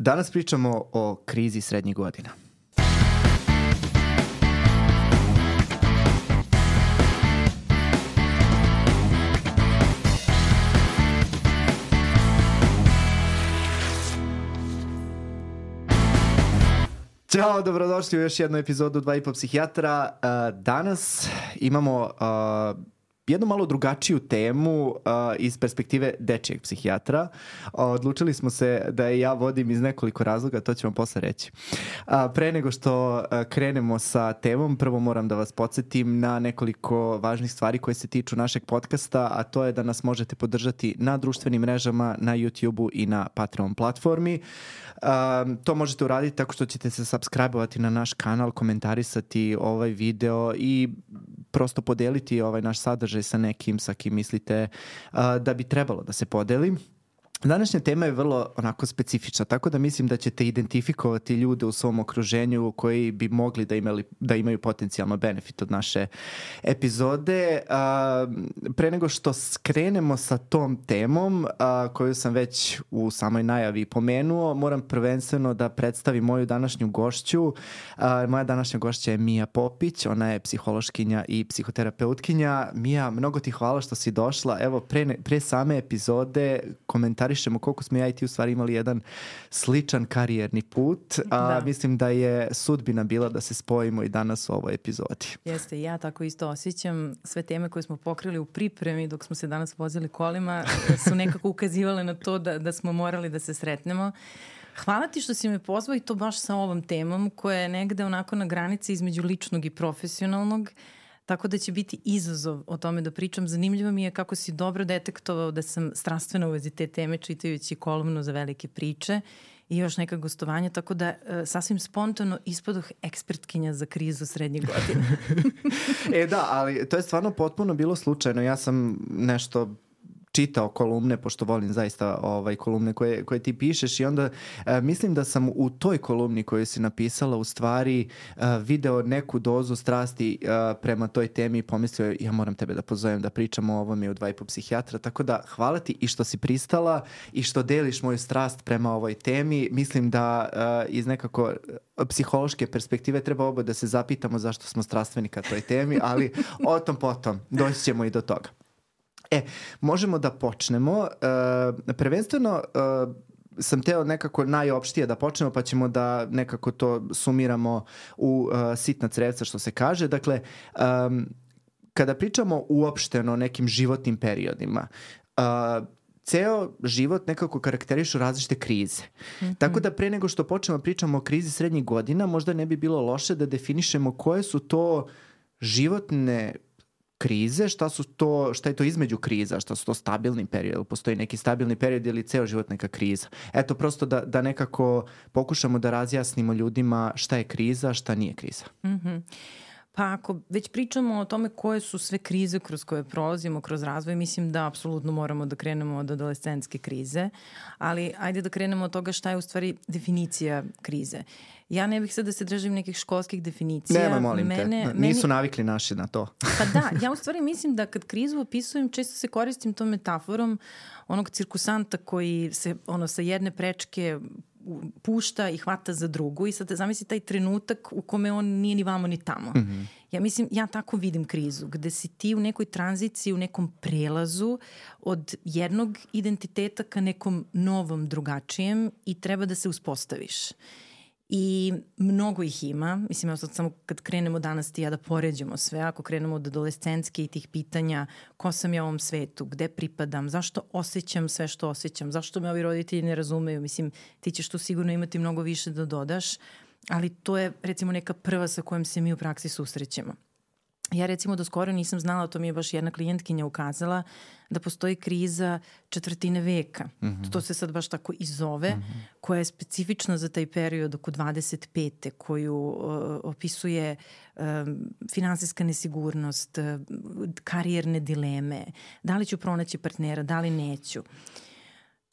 Danas pričamo o krizi srednjih godina. Ćao, dobrodošli u još jednu epizodu 2,5 psihijatra. Danas imamo jednu malo drugačiju temu iz perspektive dečijeg psihijatra. Odlučili smo se da je ja vodim iz nekoliko razloga, to ću vam posle reći. Pre nego što krenemo sa temom, prvo moram da vas podsjetim na nekoliko važnih stvari koje se tiču našeg podcasta, a to je da nas možete podržati na društvenim mrežama, na YouTube-u i na Patreon platformi. To možete uraditi tako što ćete se subscribe-ovati na naš kanal, komentarisati ovaj video i prosto podeliti ovaj naš sadržaj sa nekim sa kim mislite da bi trebalo da se podeli. Današnja tema je vrlo onako specifična, tako da mislim da ćete identifikovati ljude u svom okruženju koji bi mogli da imaju potencijalno benefit od naše epizode. Pre nego što skrenemo sa tom temom, koju sam već u samoj najavi pomenuo, moram prvenstveno da predstavim moju današnju gošću. Moja današnja gošća je Mija Popić, ona je psihološkinja i psihoterapeutkinja. Mija, mnogo ti hvala što si došla. Evo, pre same epizode komentarišemo koliko smo ja i ti u stvari imali jedan sličan karijerni put. Mislim da je sudbina bila da se spojimo i danas u ovoj epizodi. Jeste, ja tako isto osjećam. Sve teme koje smo pokrili u pripremi dok smo se danas vozili kolima su nekako ukazivale na to da smo morali da se sretnemo. Hvala ti što si me pozvao i to baš sa ovom temom koja je negde onako na granici između ličnog i profesionalnog. Tako da će biti izazov o tome da pričam. Zanimljivo mi je kako si dobro detektovao da sam strastvena u vezi te teme čitajući kolumnu za velike priče i još neka gostovanja, tako da sasvim spontano ispadoh ekspertkinja za krizu srednjih godina. Da, ali to je stvarno potpuno bilo slučajno. Ja sam nešto čitao kolumne, pošto volim zaista kolumne koje ti pišeš i onda mislim da sam u toj kolumni koju si napisala u stvari video neku dozu strasti prema toj temi i pomislio ja moram tebe da pozovem da pričamo o ovome u 2,5 psihijatra, tako da hvala ti i što si pristala i što deliš moju strast prema ovoj temi. Mislim da iz nekako psihološke perspektive treba oba da se zapitamo zašto smo strastveni ka toj temi, ali o tom potom doći ćemo i do toga. Možemo da počnemo. Prvenstveno sam teo nekako najopštije da počnemo, pa ćemo da nekako to sumiramo u sitna crevca, što se kaže. Dakle, kada pričamo uopšteno o nekim životnim periodima, ceo život nekako karakterišu različite krize. Mm-hmm. Tako da pre nego što počnemo pričamo o krizi srednjih godina, možda ne bi bilo loše da definišemo koje su to životne krize, šta je to između kriza, šta su to stabilni period, postoji neki stabilni period ili ceo život neka kriza. Eto, prosto da nekako pokušamo da razjasnimo ljudima šta je kriza, šta nije kriza. Mm-hmm. Pa ako već pričamo o tome koje su sve krize kroz koje prolazimo, kroz razvoj, mislim da apsolutno moramo da krenemo od adolescentske krize, ali ajde da krenemo od toga šta je u stvari definicija krize. Ja ne bih sad da se držim nekih školskih definicija. Nema, molim te. Nisu navikli naši na to. Pa da, ja u stvari mislim da kad krizu opisujem, često se koristim tom metaforom onog cirkusanta koji se sa jedne prečke pušta i hvata za drugu i sad zamisli taj trenutak u kome on nije ni vamo ni tamo. Mm-hmm. Ja tako vidim krizu, gde si ti u nekoj tranziciji, u nekom prelazu od jednog identiteta ka nekom novom, drugačijem i treba da se uspostaviš. I mnogo ih ima. Mislim, evo sad samo kad krenemo danas ti ja da poređamo sve, ako krenemo od adolescentske i tih pitanja ko sam ja u ovom svetu, gde pripadam, zašto osjećam sve što osjećam, zašto me ovi roditelji ne razumeju, mislim, ti ćeš tu sigurno imati mnogo više da dodaš, ali to je recimo neka prva sa kojom se mi u praksi susrećemo. Ja recimo do skoro nisam znala, to mi je baš jedna klijentkinja ukazala, da postoji kriza četvrtine veka. Mm-hmm. To se sad baš tako i zove, mm-hmm. koja je specifična za taj period oko 25. koju opisuje finansijska nesigurnost, karijerne dileme, da li ću pronaći partnera, da li neću.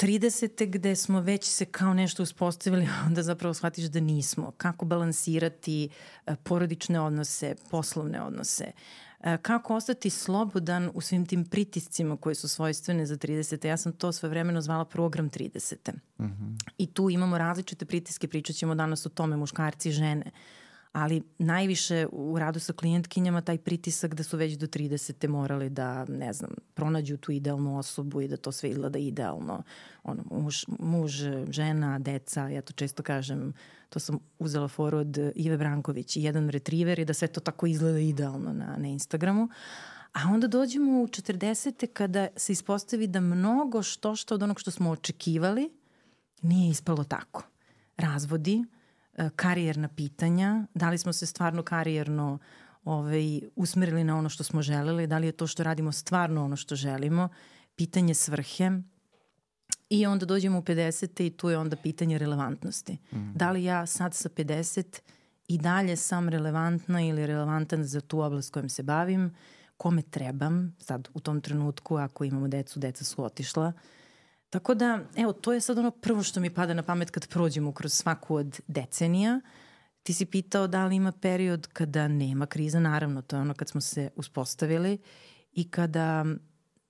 30. gde smo već se kao nešto uspostavili, onda zapravo shvatiš da nismo. Kako balansirati porodične odnose, poslovne odnose. Kako ostati slobodan u svim tim pritiscima koji su svojstvene za 30. Ja sam to svojevremeno zvala program 30. I tu imamo različite pritiske, pričat ćemo danas o tome, muškarci i žene. Ali najviše u radu sa klijentkinjama taj pritisak da su već do 30. morali da, ne znam, pronađu tu idealnu osobu i da to sve izgleda idealno. Muž, žena, deca, ja to često kažem, to sam uzela foru od Ive Branković i jedan retriver i da sve to tako izgleda idealno na Instagramu. A onda dođemo u 40. kada se ispostavi da mnogo što od onog što smo očekivali nije ispalo tako. Razvodi, karijerna pitanja, da li smo se stvarno karijerno usmerili na ono što smo želeli, da li je to što radimo stvarno ono što želimo, pitanje svrhe i onda dođemo u 50. i tu je onda pitanje relevantnosti. Da li ja sad sa 50 i dalje sam relevantna ili relevantan za tu oblast kojom se bavim, kome trebam, sad u tom trenutku ako imamo decu, deca su otišla. Tako da, evo, to je sad ono prvo što mi pada na pamet kad prođemo kroz svaku od decenija. Ti si pitao da li ima period kada nema kriza, naravno, to je ono kad smo se uspostavili i kada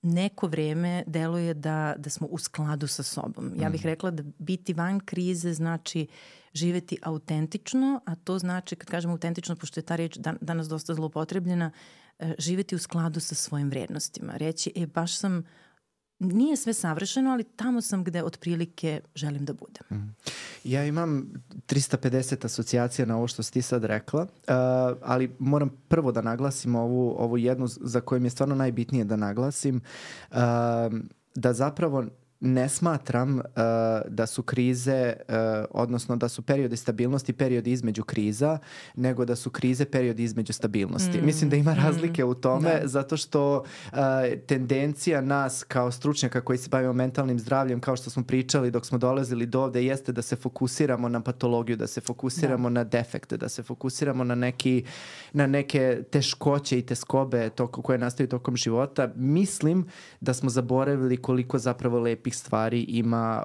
neko vreme deluje da smo u skladu sa sobom. Ja bih rekla da biti van krize znači živeti autentično, a to znači, kad kažemo autentično, pošto je ta reč danas dosta zloupotrebljena, živeti u skladu sa svojim vrednostima. Reći, baš sam, nije sve savršeno, ali tamo sam gde otprilike želim da budem. Ja imam 350 asocijacija na ovo što si ti sad rekla, ali moram prvo da naglasim ovu jednu za koju mi je stvarno najbitnije da naglasim, da zapravo ne smatram da su krize, odnosno da su periodi stabilnosti periodi između kriza, nego da su krize periodi između stabilnosti. Mislim da ima razlike u tome, zato što tendencija nas kao stručnjaka koji se bavimo mentalnim zdravljem, kao što smo pričali dok smo dolazili do ovde, jeste da se fokusiramo na patologiju, da se fokusiramo na defekte, da se fokusiramo na neke teškoće i teskobe koje nastaju tokom života. Mislim da smo zaboravili koliko zapravo lepih stvari ima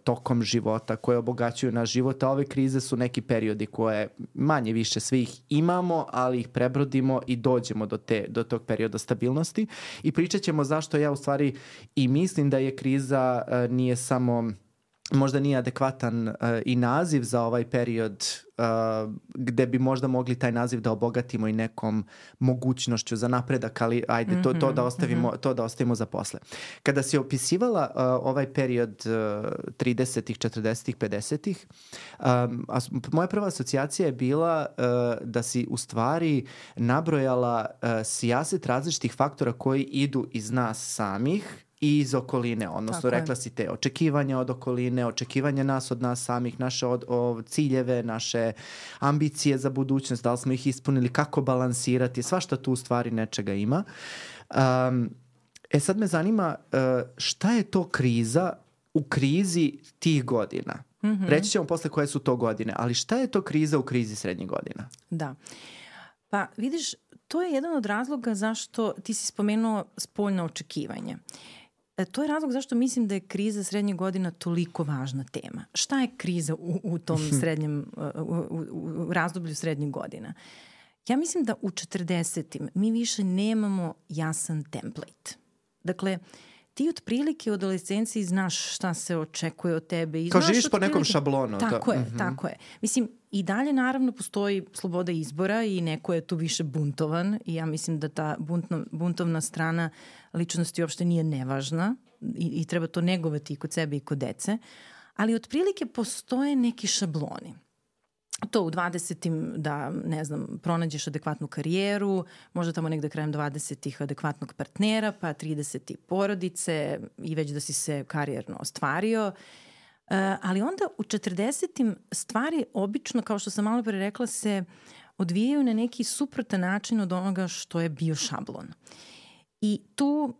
tokom života koje obogaćuju naš život, a ove krize su neki periodi koje manje više svih imamo, ali ih prebrodimo i dođemo do tog perioda stabilnosti i pričat ćemo zašto ja u stvari i mislim da je kriza nije samo, možda nije adekvatan i naziv za ovaj period gde bi možda mogli taj naziv da obogatimo i nekom mogućnošću za napredak, ali ajde, to da ostavimo za posle. Kada si opisivala ovaj period 30-ih, 40-ih, 50-ih, moja prva asocijacija je bila da si u stvari nabrojala sijaset različitih faktora koji idu iz nas samih i iz okoline, odnosno rekla si te očekivanja od okoline, očekivanja nas od nas samih, naše ciljeve, naše ambicije za budućnost, da li smo ih ispunili, kako balansirati, svašta tu u stvari nečega ima. Sad me zanima šta je to kriza u krizi tih godina? Reći ćemo posle koje su to godine, ali šta je to kriza u krizi srednjih godina? Da. Pa vidiš, to je jedan od razloga zašto ti si spomenuo spoljno očekivanje. To je razlog zašto mislim da je kriza srednjih godina toliko važna tema. Šta je kriza u tom srednjem, u razdoblju srednjih godina? Ja mislim da u 40-im mi više nemamo jasan template. Dakle, ti otprilike u adolescenciji znaš šta se očekuje od tebe. I kao živiš po nekom šablonu. Tako je. Mislim, i dalje naravno postoji sloboda izbora i neko je tu više buntovan i ja mislim da ta buntovna strana ličnosti uopšte nije nevažna i treba to negovati i kod sebe i kod dece, ali otprilike postoje neki šabloni. To u 20-im da, ne znam, pronađeš adekvatnu karijeru, možda tamo negde krajem 20-ih adekvatnog partnera, pa 30-i porodice i već da si se karijerno ostvario. Ali onda u 40-im stvari obično, kao što sam malo pre rekla, se odvijaju na neki suprotan način od onoga što je bio šablon. I tu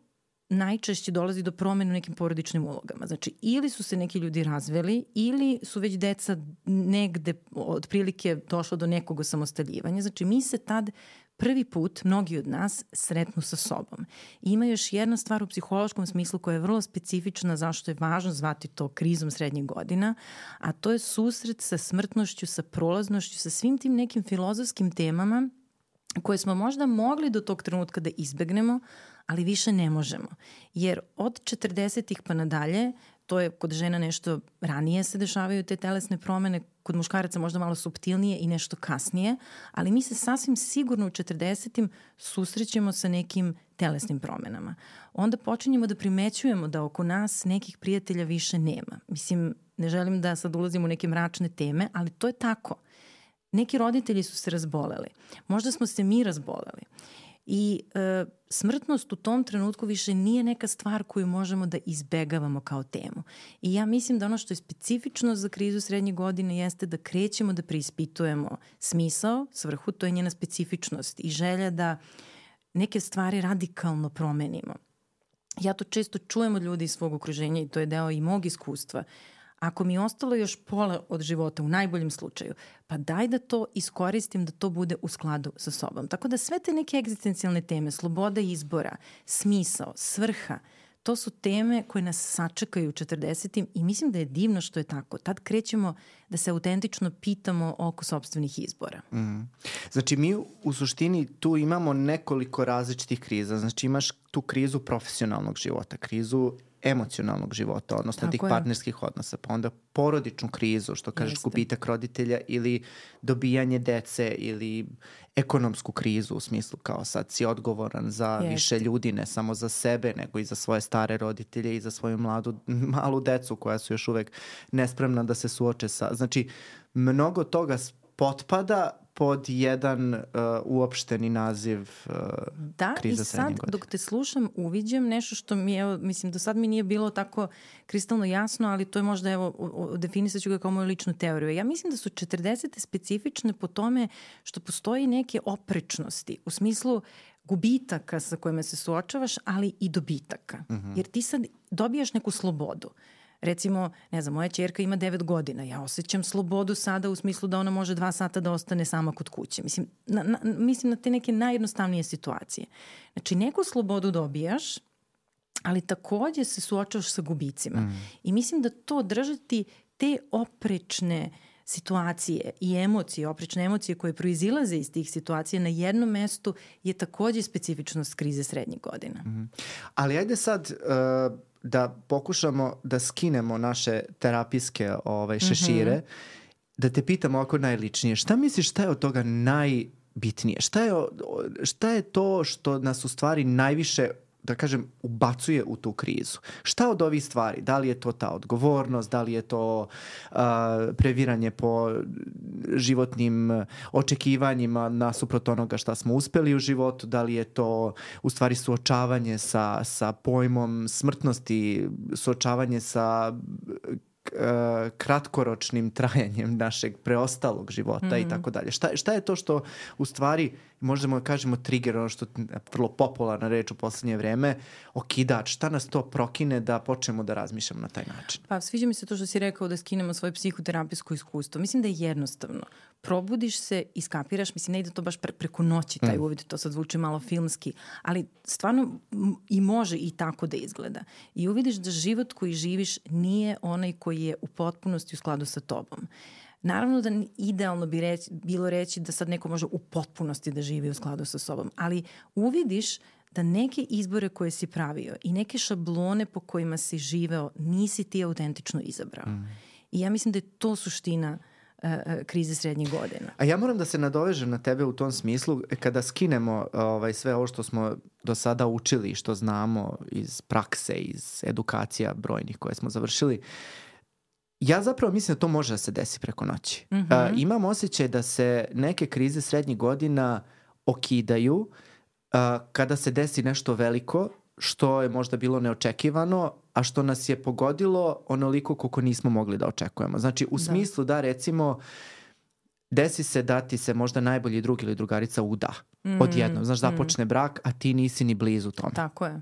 najčešće dolazi do promene u nekim porodičnim ulogama. Znači, ili su se neki ljudi razveli, ili su već deca negde otprilike došlo do nekog osamostaljivanja. Znači, mi se tad prvi put, mnogi od nas, sretnu sa sobom. I ima još jedna stvar u psihološkom smislu koja je vrlo specifična, zašto je važno zvati to krizom srednjih godina, a to je susret sa smrtnošću, sa prolaznošću, sa svim tim nekim filozofskim temama koje smo možda mogli do tog trenutka da izbegnemo, ali više ne možemo. Jer od 40-ih pa nadalje, to je kod žena nešto ranije se dešavaju te telesne promene, kod muškaraca možda malo suptilnije i nešto kasnije, ali mi se sasvim sigurno u 40-im susrećemo sa nekim telesnim promenama. Onda počinjemo da primećujemo da oko nas nekih prijatelja više nema. Mislim, ne želim da sad ulazim u neke mračne teme, ali to je tako. Neki roditelji su se razboleli. Možda smo se mi razboleli. I smrtnost u tom trenutku više nije neka stvar koju možemo da izbegavamo kao temu. I ja mislim da ono što je specifično za krizu srednje godine jeste da krećemo da preispitujemo smisao, svrhu, to je njena specifičnost i želja da neke stvari radikalno promenimo. Ja to često čujem od ljudi iz svog okruženja i to je deo i mog iskustva. Ako mi je ostalo još pola od života, u najboljem slučaju, pa daj da to iskoristim, da to bude u skladu sa sobom. Tako da sve te neke egzistencijalne teme, sloboda izbora, smisao, svrha, to su teme koje nas sačekaju u 40-im i mislim da je divno što je tako. Tad krećemo da se autentično pitamo oko sopstvenih izbora. Znači mi u suštini tu imamo nekoliko različitih kriza. Znači imaš tu krizu profesionalnog života, krizu emocionalnog života, odnosno tako tih partnerskih odnosa, pa onda porodičnu krizu, što kažeš gubitak roditelja ili dobijanje dece ili ekonomsku krizu u smislu kao sad si odgovoran za više ljudi, ne samo za sebe, nego i za svoje stare roditelje i za svoju malu decu koja su još uvek nespremna da se suoče sa... Znači, mnogo toga potpada pod jedan uopšteni naziv kriza srednje godine. Da, i sad dok te slušam uviđam nešto što mi je, mislim do sad mi nije bilo tako kristalno jasno, ali to je možda, evo, definisat ću ga kao moju ličnu teoriju. Ja mislim da su 40. specifične po tome što postoji neke oprečnosti u smislu gubitaka sa kojima se suočavaš, ali i dobitaka. Jer ti sad dobijaš neku slobodu. Recimo, ne znam, moja ćerka ima 9 godina. Ja osjećam slobodu sada u smislu da ona može 2 sata da ostane sama kod kuće. Mislim na te neke najjednostavnije situacije. Znači, neku slobodu dobijaš, ali takođe se suočavaš sa gubicima. I mislim da to držati te oprečne situacije i emocije, oprečne emocije koje proizilaze iz tih situacija na jednom mestu je takođe specifičnost krize srednjih godina. Ali ajde sad... da pokušamo da skinemo naše terapijske šešire, da te pitam ovako najličnije. Šta misliš, šta je od toga najbitnije? Šta je to što nas u stvari najviše, da kažem, ubacuje u tu krizu? Šta od ovih stvari? Da li je to ta odgovornost? Da li je to previranje po životnim očekivanjima nasuprot onoga šta smo uspeli u životu? Da li je to u stvari suočavanje sa pojmom smrtnosti, suočavanje sa kratkoročnim trajanjem našeg preostalog života i tako dalje. Šta je to što u stvari možemo da kažemo trigger, ono što je vrlo popularna reč u poslednje vreme, okidač, šta nas to prokine da počnemo da razmišljamo na taj način? Pa sviđa mi se to što si rekao da skinemo svoje psihoterapijsko iskustvo. Mislim da je jednostavno. Probudiš se i skapiraš, mislim ne ide to baš preko noći taj uvid, to sad zvuči malo filmski, ali stvarno i može i tako da izgleda. I uvidiš da život koji živiš nije onaj koji je u potpunosti u skladu sa tobom. Naravno da idealno bi bilo reći da sad neko može u potpunosti da živi u skladu sa sobom, ali uvidiš da neke izbore koje si pravio i neke šablone po kojima si živeo nisi ti autentično izabrao. I ja mislim da je to suština krize srednjih godina. A ja moram da se nadovežem na tebe u tom smislu, kada skinemo sve ovo što smo do sada učili, što znamo iz prakse, iz edukacija brojnih koje smo završili, ja zapravo mislim da to može da se desi preko noći. Imam osjećaj da se neke krize srednjih godina okidaju kada se desi nešto veliko, što je možda bilo neočekivano, a što nas je pogodilo onoliko koliko nismo mogli da očekujemo. Znači, u smislu da recimo desi se da ti se možda najbolji drug ili drugarica uda odjednom. Znaš, započne brak, a ti nisi ni blizu tome. Tako je.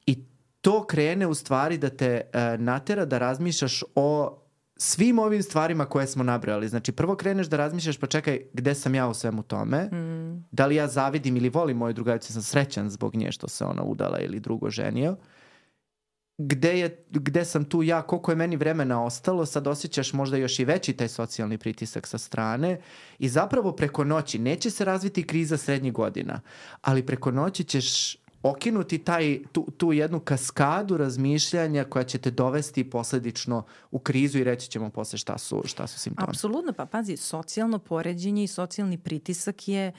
I to krene u stvari da te natera da razmišljaš o svim ovim stvarima koje smo nabrali. Znači, prvo kreneš da razmišljaš, pa čekaj, gde sam ja u svemu tome? Da li ja zavidim ili volim moju drugaricu, sam srećan zbog nje što se ona udala ili drugo ženio? gde sam tu ja, koliko je meni vremena ostalo, sad osjećaš možda još i veći taj socijalni pritisak sa strane i zapravo preko noći neće se razviti kriza srednjih godina, ali preko noći ćeš okinuti tu jednu kaskadu razmišljanja koja će te dovesti posledično u krizu i reći ćemo posle šta su simptomi. Apsolutno, pa pazi, socijalno poređenje i socijalni pritisak je,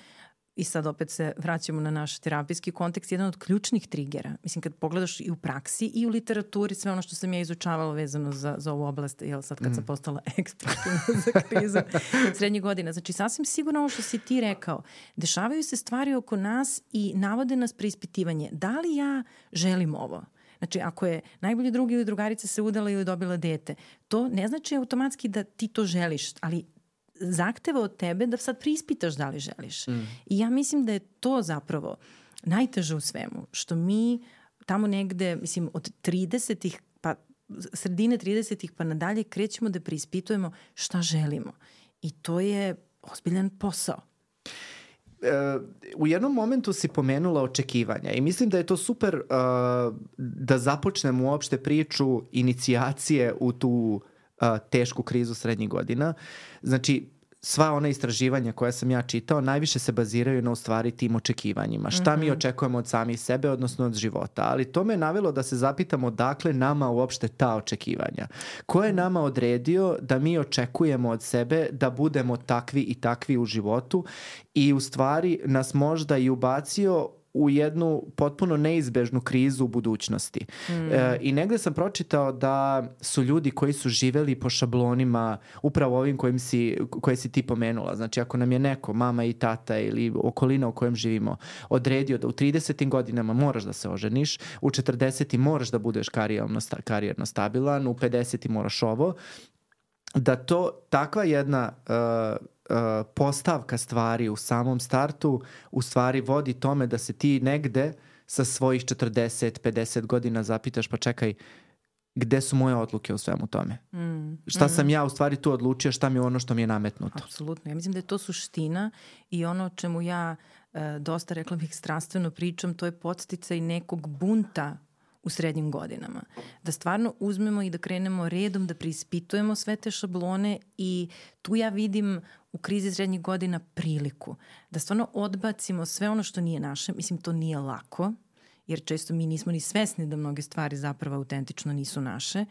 i sad opet se vraćamo na naš terapijski kontekst, jedan od ključnih trigera. Mislim, kad pogledaš i u praksi i u literaturi, sve ono što sam ja izučavala vezano za ovu oblast, jel sad kad sam postala ekspertina za krizu srednjih godina. Znači, sasvim sigurno ovo što si ti rekao, dešavaju se stvari oko nas i navode nas preispitivanje. Da li ja želim ovo? Znači, ako je najbolji drug ili drugarica se udala ili dobila dete, to ne znači automatski da ti to želiš, ali zahteva od tebe da sad preispitaš da li želiš. I ja mislim da je to zapravo najteže u svemu, što mi tamo negde, mislim, od 30-ih, pa sredine 30-ih pa nadalje krećemo da preispitujemo šta želimo. I to je ozbiljan posao. U jednom momentu si pomenula očekivanja i mislim da je to super da započnemo uopšte priču inicijacije u tu tešku krizu srednjih godina. Znači, sva ona istraživanja koja sam ja čitao najviše se baziraju na u stvari tim očekivanjima. Šta mi očekujemo od samih sebe, odnosno od života. Ali to me je navelo da se zapitamo dakle nama uopšte ta očekivanja. Ko je nama odredio da mi očekujemo od sebe da budemo takvi i takvi u životu i u stvari nas možda i ubacio u jednu potpuno neizbežnu krizu u budućnosti. I negde sam pročitao da su ljudi koji su živeli po šablonima upravo ovim koje si ti pomenula. Znači, ako nam je neko, mama i tata ili okolina u kojem živimo, odredio da u 30. godinama moraš da se oženiš, u 40. moraš da budeš karijerno stabilan, u 50. moraš ovo, da to takva jedna postavka stvari u samom startu u stvari vodi tome da se ti negde sa svojih 40-50 godina zapitaš pa čekaj, gde su moje odluke u svemu tome? Šta sam ja u stvari tu odlučio, šta mi je ono što mi je nametnuto? Apsolutno. Ja mislim da je to suština i ono o čemu ja dosta, rekla bih, strastveno pričam, to je podsticaj nekog bunta u srednjim godinama. Da stvarno uzmemo i da krenemo redom, da preispitujemo sve te šablone i tu ja vidim u krizi srednjih godina priliku. Da stvarno odbacimo sve ono što nije naše. Mislim, to nije lako, jer često mi nismo ni svesni da mnoge stvari zapravo autentično nisu naše.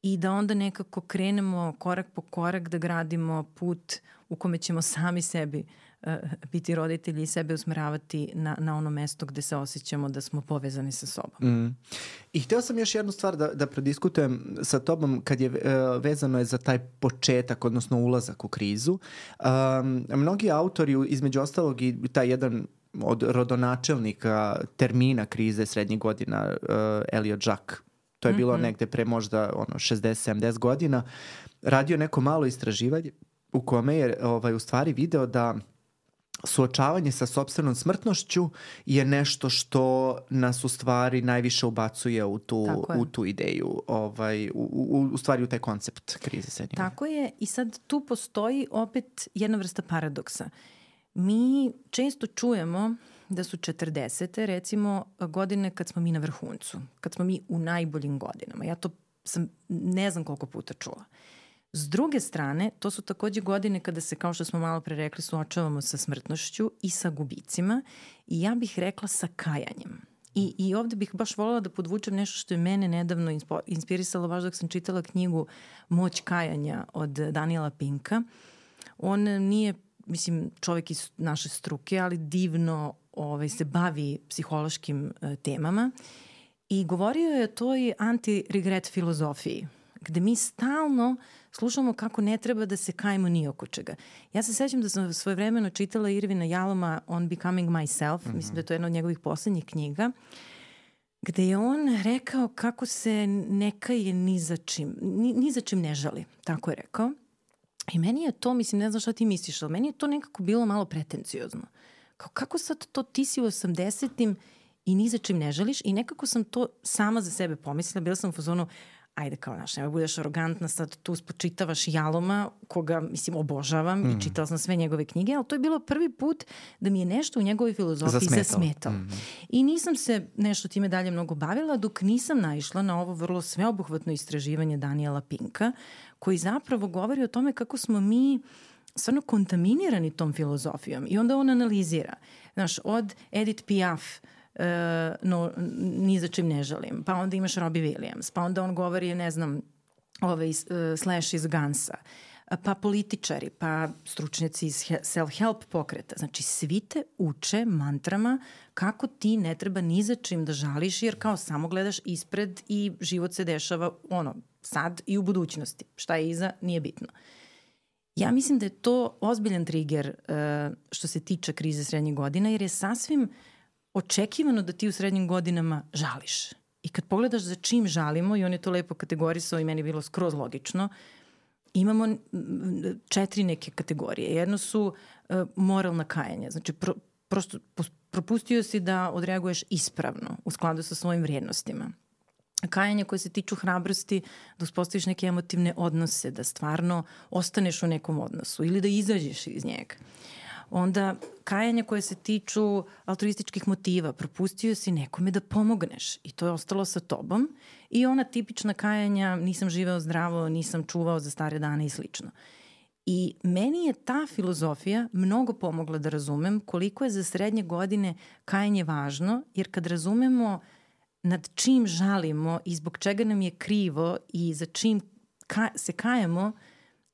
I da onda nekako krenemo korak po korak da gradimo put u kome ćemo sami sebi biti roditelji i sebe usmeravati na ono mesto gde se osjećamo da smo povezani sa sobom. I hteo sam još jednu stvar da prediskutujem sa tobom kad je vezano je za taj početak, odnosno ulazak u krizu. Mnogi autori, između ostalog i taj jedan od rodonačelnika termina krize srednjih godina, Elliot Jaques, to je bilo negde pre možda 60-70 godina, radio neko malo istraživanje u kome je u stvari video da suočavanje sa sopstvenom smrtnošću je nešto što nas u stvari najviše ubacuje u tu ideju, u stvari u taj koncept krize srednjih godina. Tako je, i sad tu postoji opet jedna vrsta paradoksa. Mi često čujemo da su 40. recimo godine kad smo mi na vrhuncu, kad smo mi u najboljim godinama. Ja to sam ne znam koliko puta čula. S druge strane, to su takođe godine kada se, kao što smo malo pre rekli, suočavamo sa smrtnošću i sa gubicima i ja bih rekla sa kajanjem. I ovde bih baš voljela da podvučem nešto što je mene nedavno inspirisalo baš dok sam čitala knjigu Moć kajanja od Daniela Pinka. On nije, mislim, čovjek iz naše struke, ali divno se bavi psihološkim temama i govorio je o toj anti-regret filozofiji, gde mi stalno slušamo kako ne treba da se kajemo ni oko čega. Ja se sećam da sam svojevremeno čitala Irvina Jaloma On Becoming Myself, mislim da je to jedna od njegovih poslednjih knjiga, gde je on rekao kako se ne kaje ni za čim ne žali, tako je rekao. I meni je to, mislim, ne znam šta ti misliš, ali meni je to nekako bilo malo pretenciozno. Kako sad to ti si u 80-im i ni za čim ne žališ i nekako sam to sama za sebe pomislila, bila sam u fazonu, ajde kao, znaš, nema budeš arogantna, sad tu spočitavaš Jaloma, koga, mislim, obožavam i čitala sam sve njegove knjige, ali to je bilo prvi put da mi je nešto u njegovoj filozofiji zasmetalo. I nisam se nešto time dalje mnogo bavila dok nisam naišla na ovo vrlo sveobuhvatno istraživanje Daniela Pinka, koji zapravo govori o tome kako smo mi stvarno kontaminirani tom filozofijom. I onda on analizira. Znaš, od Edith Piaf, no, ni za čim ne želim. Pa onda imaš Robbie Williams. Pa onda on govori, ne znam, Slash iz Gansa. Pa političari, pa stručnjaci iz self-help pokreta. Znači, svi te uče mantrama kako ti ne treba ni za čim da žališ, jer kao samo gledaš ispred i život se dešava sad i u budućnosti. Šta je iza, nije bitno. Ja mislim da je to ozbiljan trigger što se tiče krize srednjih godina, jer je sasvim očekivano da ti u srednjim godinama žališ. I kad pogledaš za čim žalimo, i on je to lepo kategorisao i meni je bilo skroz logično, imamo 4 neke kategorije. Jedno su moralna kajanja. Znači, prosto propustio si da odreaguješ ispravno u skladu sa svojim vrijednostima. Kajanja koje se tiču hrabrosti, da uspostaviš neke emotivne odnose, da stvarno ostaneš u nekom odnosu ili da izađeš iz njega. Onda kajanja koje se tiču altruističkih motiva, propustio si nekome da pomogneš i to je ostalo sa tobom. I ona tipična kajanja, nisam živeo zdravo, nisam čuvao za stare dane i slično. I meni je ta filozofija mnogo pomogla da razumem koliko je za srednje godine kajanje važno, jer kad razumemo nad čim žalimo i zbog čega nam je krivo i za čim se kajemo,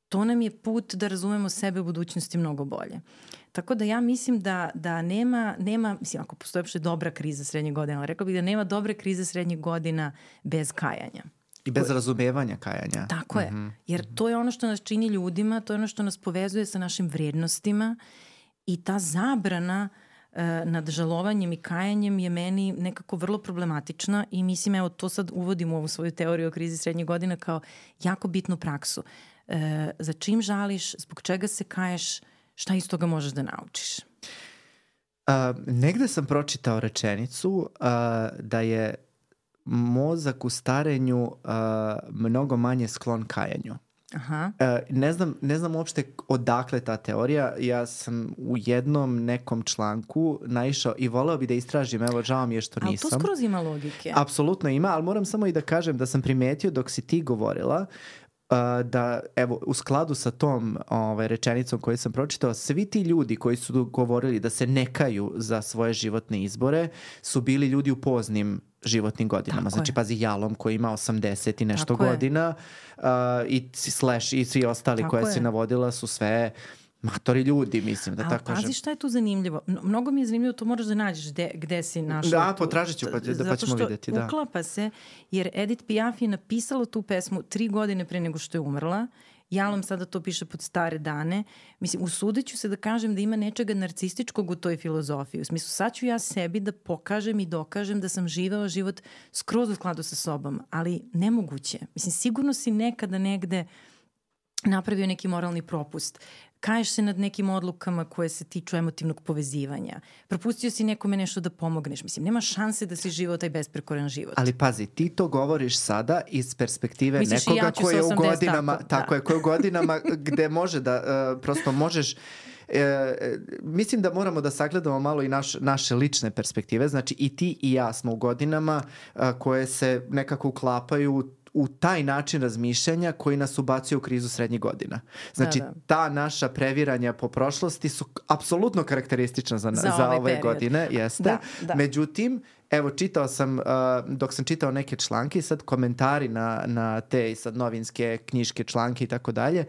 to nam je put da razumemo sebe u budućnosti mnogo bolje. Tako da ja mislim da nema, mislim, ako postoje uopšte dobra kriza srednjih godina, ali rekla bih da nema dobre krize srednjih godina bez kajanja. I bez razumevanja kajanja. Tako je, jer to je ono što nas čini ljudima, to je ono što nas povezuje sa našim vrijednostima i ta zabrana nad žalovanjem i kajanjem je meni nekako vrlo problematična i mislim, evo, to sad uvodim u ovu svoju teoriju o krizi srednjih godina kao jako bitnu praksu. Za čim žališ, zbog čega se kaješ, šta iz toga možeš da naučiš? Negde sam pročitao rečenicu da je mozak u starenju mnogo manje sklon kajanju. Aha. Ne znam uopšte odakle ta teorija. Ja sam u jednom nekom članku naišao i voleo bi da istražim, evo, žao mi je što nisam. Ali to skroz ima logike. Apsolutno ima, ali moram samo i da kažem da sam primetio dok si ti govorila da, evo, u skladu sa tom rečenicom koju sam pročitao, svi ti ljudi koji su govorili da se ne kaju za svoje životne izbore su bili ljudi u poznim životnim godinama. Tako znači, pazi, Jalom koji ima 80 i nešto godina i Slash i svi ostali koje si navodila su sve matori ljudi, mislim da tako kažem. Pazi šta je tu zanimljivo. Mnogo mi je zanimljivo, to moraš da nađeš gde si našla. Da, potražit ću pa ćemo vidjeti. Zato što uklapa se, jer Edith Piaf je napisala tu pesmu 3 godine pre nego što je umrla. Jalom sada to piše pod stare dane. Mislim, usudit ću se da kažem da ima nečega narcističkog u toj filozofiji. U smislu, sad ću ja sebi da pokažem i dokažem da sam živela život skroz u skladu sa sobom, ali nemoguće. Mislim, sigurno si nekada negde napravio neki moralni propust. Kaješ se nad nekim odlukama koje se tiču emotivnog povezivanja. Propustio si nekome nešto da pomogneš. Mislim, nema šanse da si živao taj besprekoran život. Ali pazi, ti to govoriš sada iz perspektive nekoga koji je u godinama, tako je, koji je u godinama gde može da, prosto možeš, mislim da moramo da sagledamo malo i naše lične perspektive. Znači, i ti i ja smo u godinama koje se nekako uklapaju u taj način razmišljanja koji nas ubacio u krizu srednjih godina. Znači, ta naša previranja po prošlosti su apsolutno karakteristična za ove godine. Jeste. Da. Međutim, evo, čitao sam, dok sam čitao neke članke i sad komentari na te sad novinske knjiške članke i tako dalje,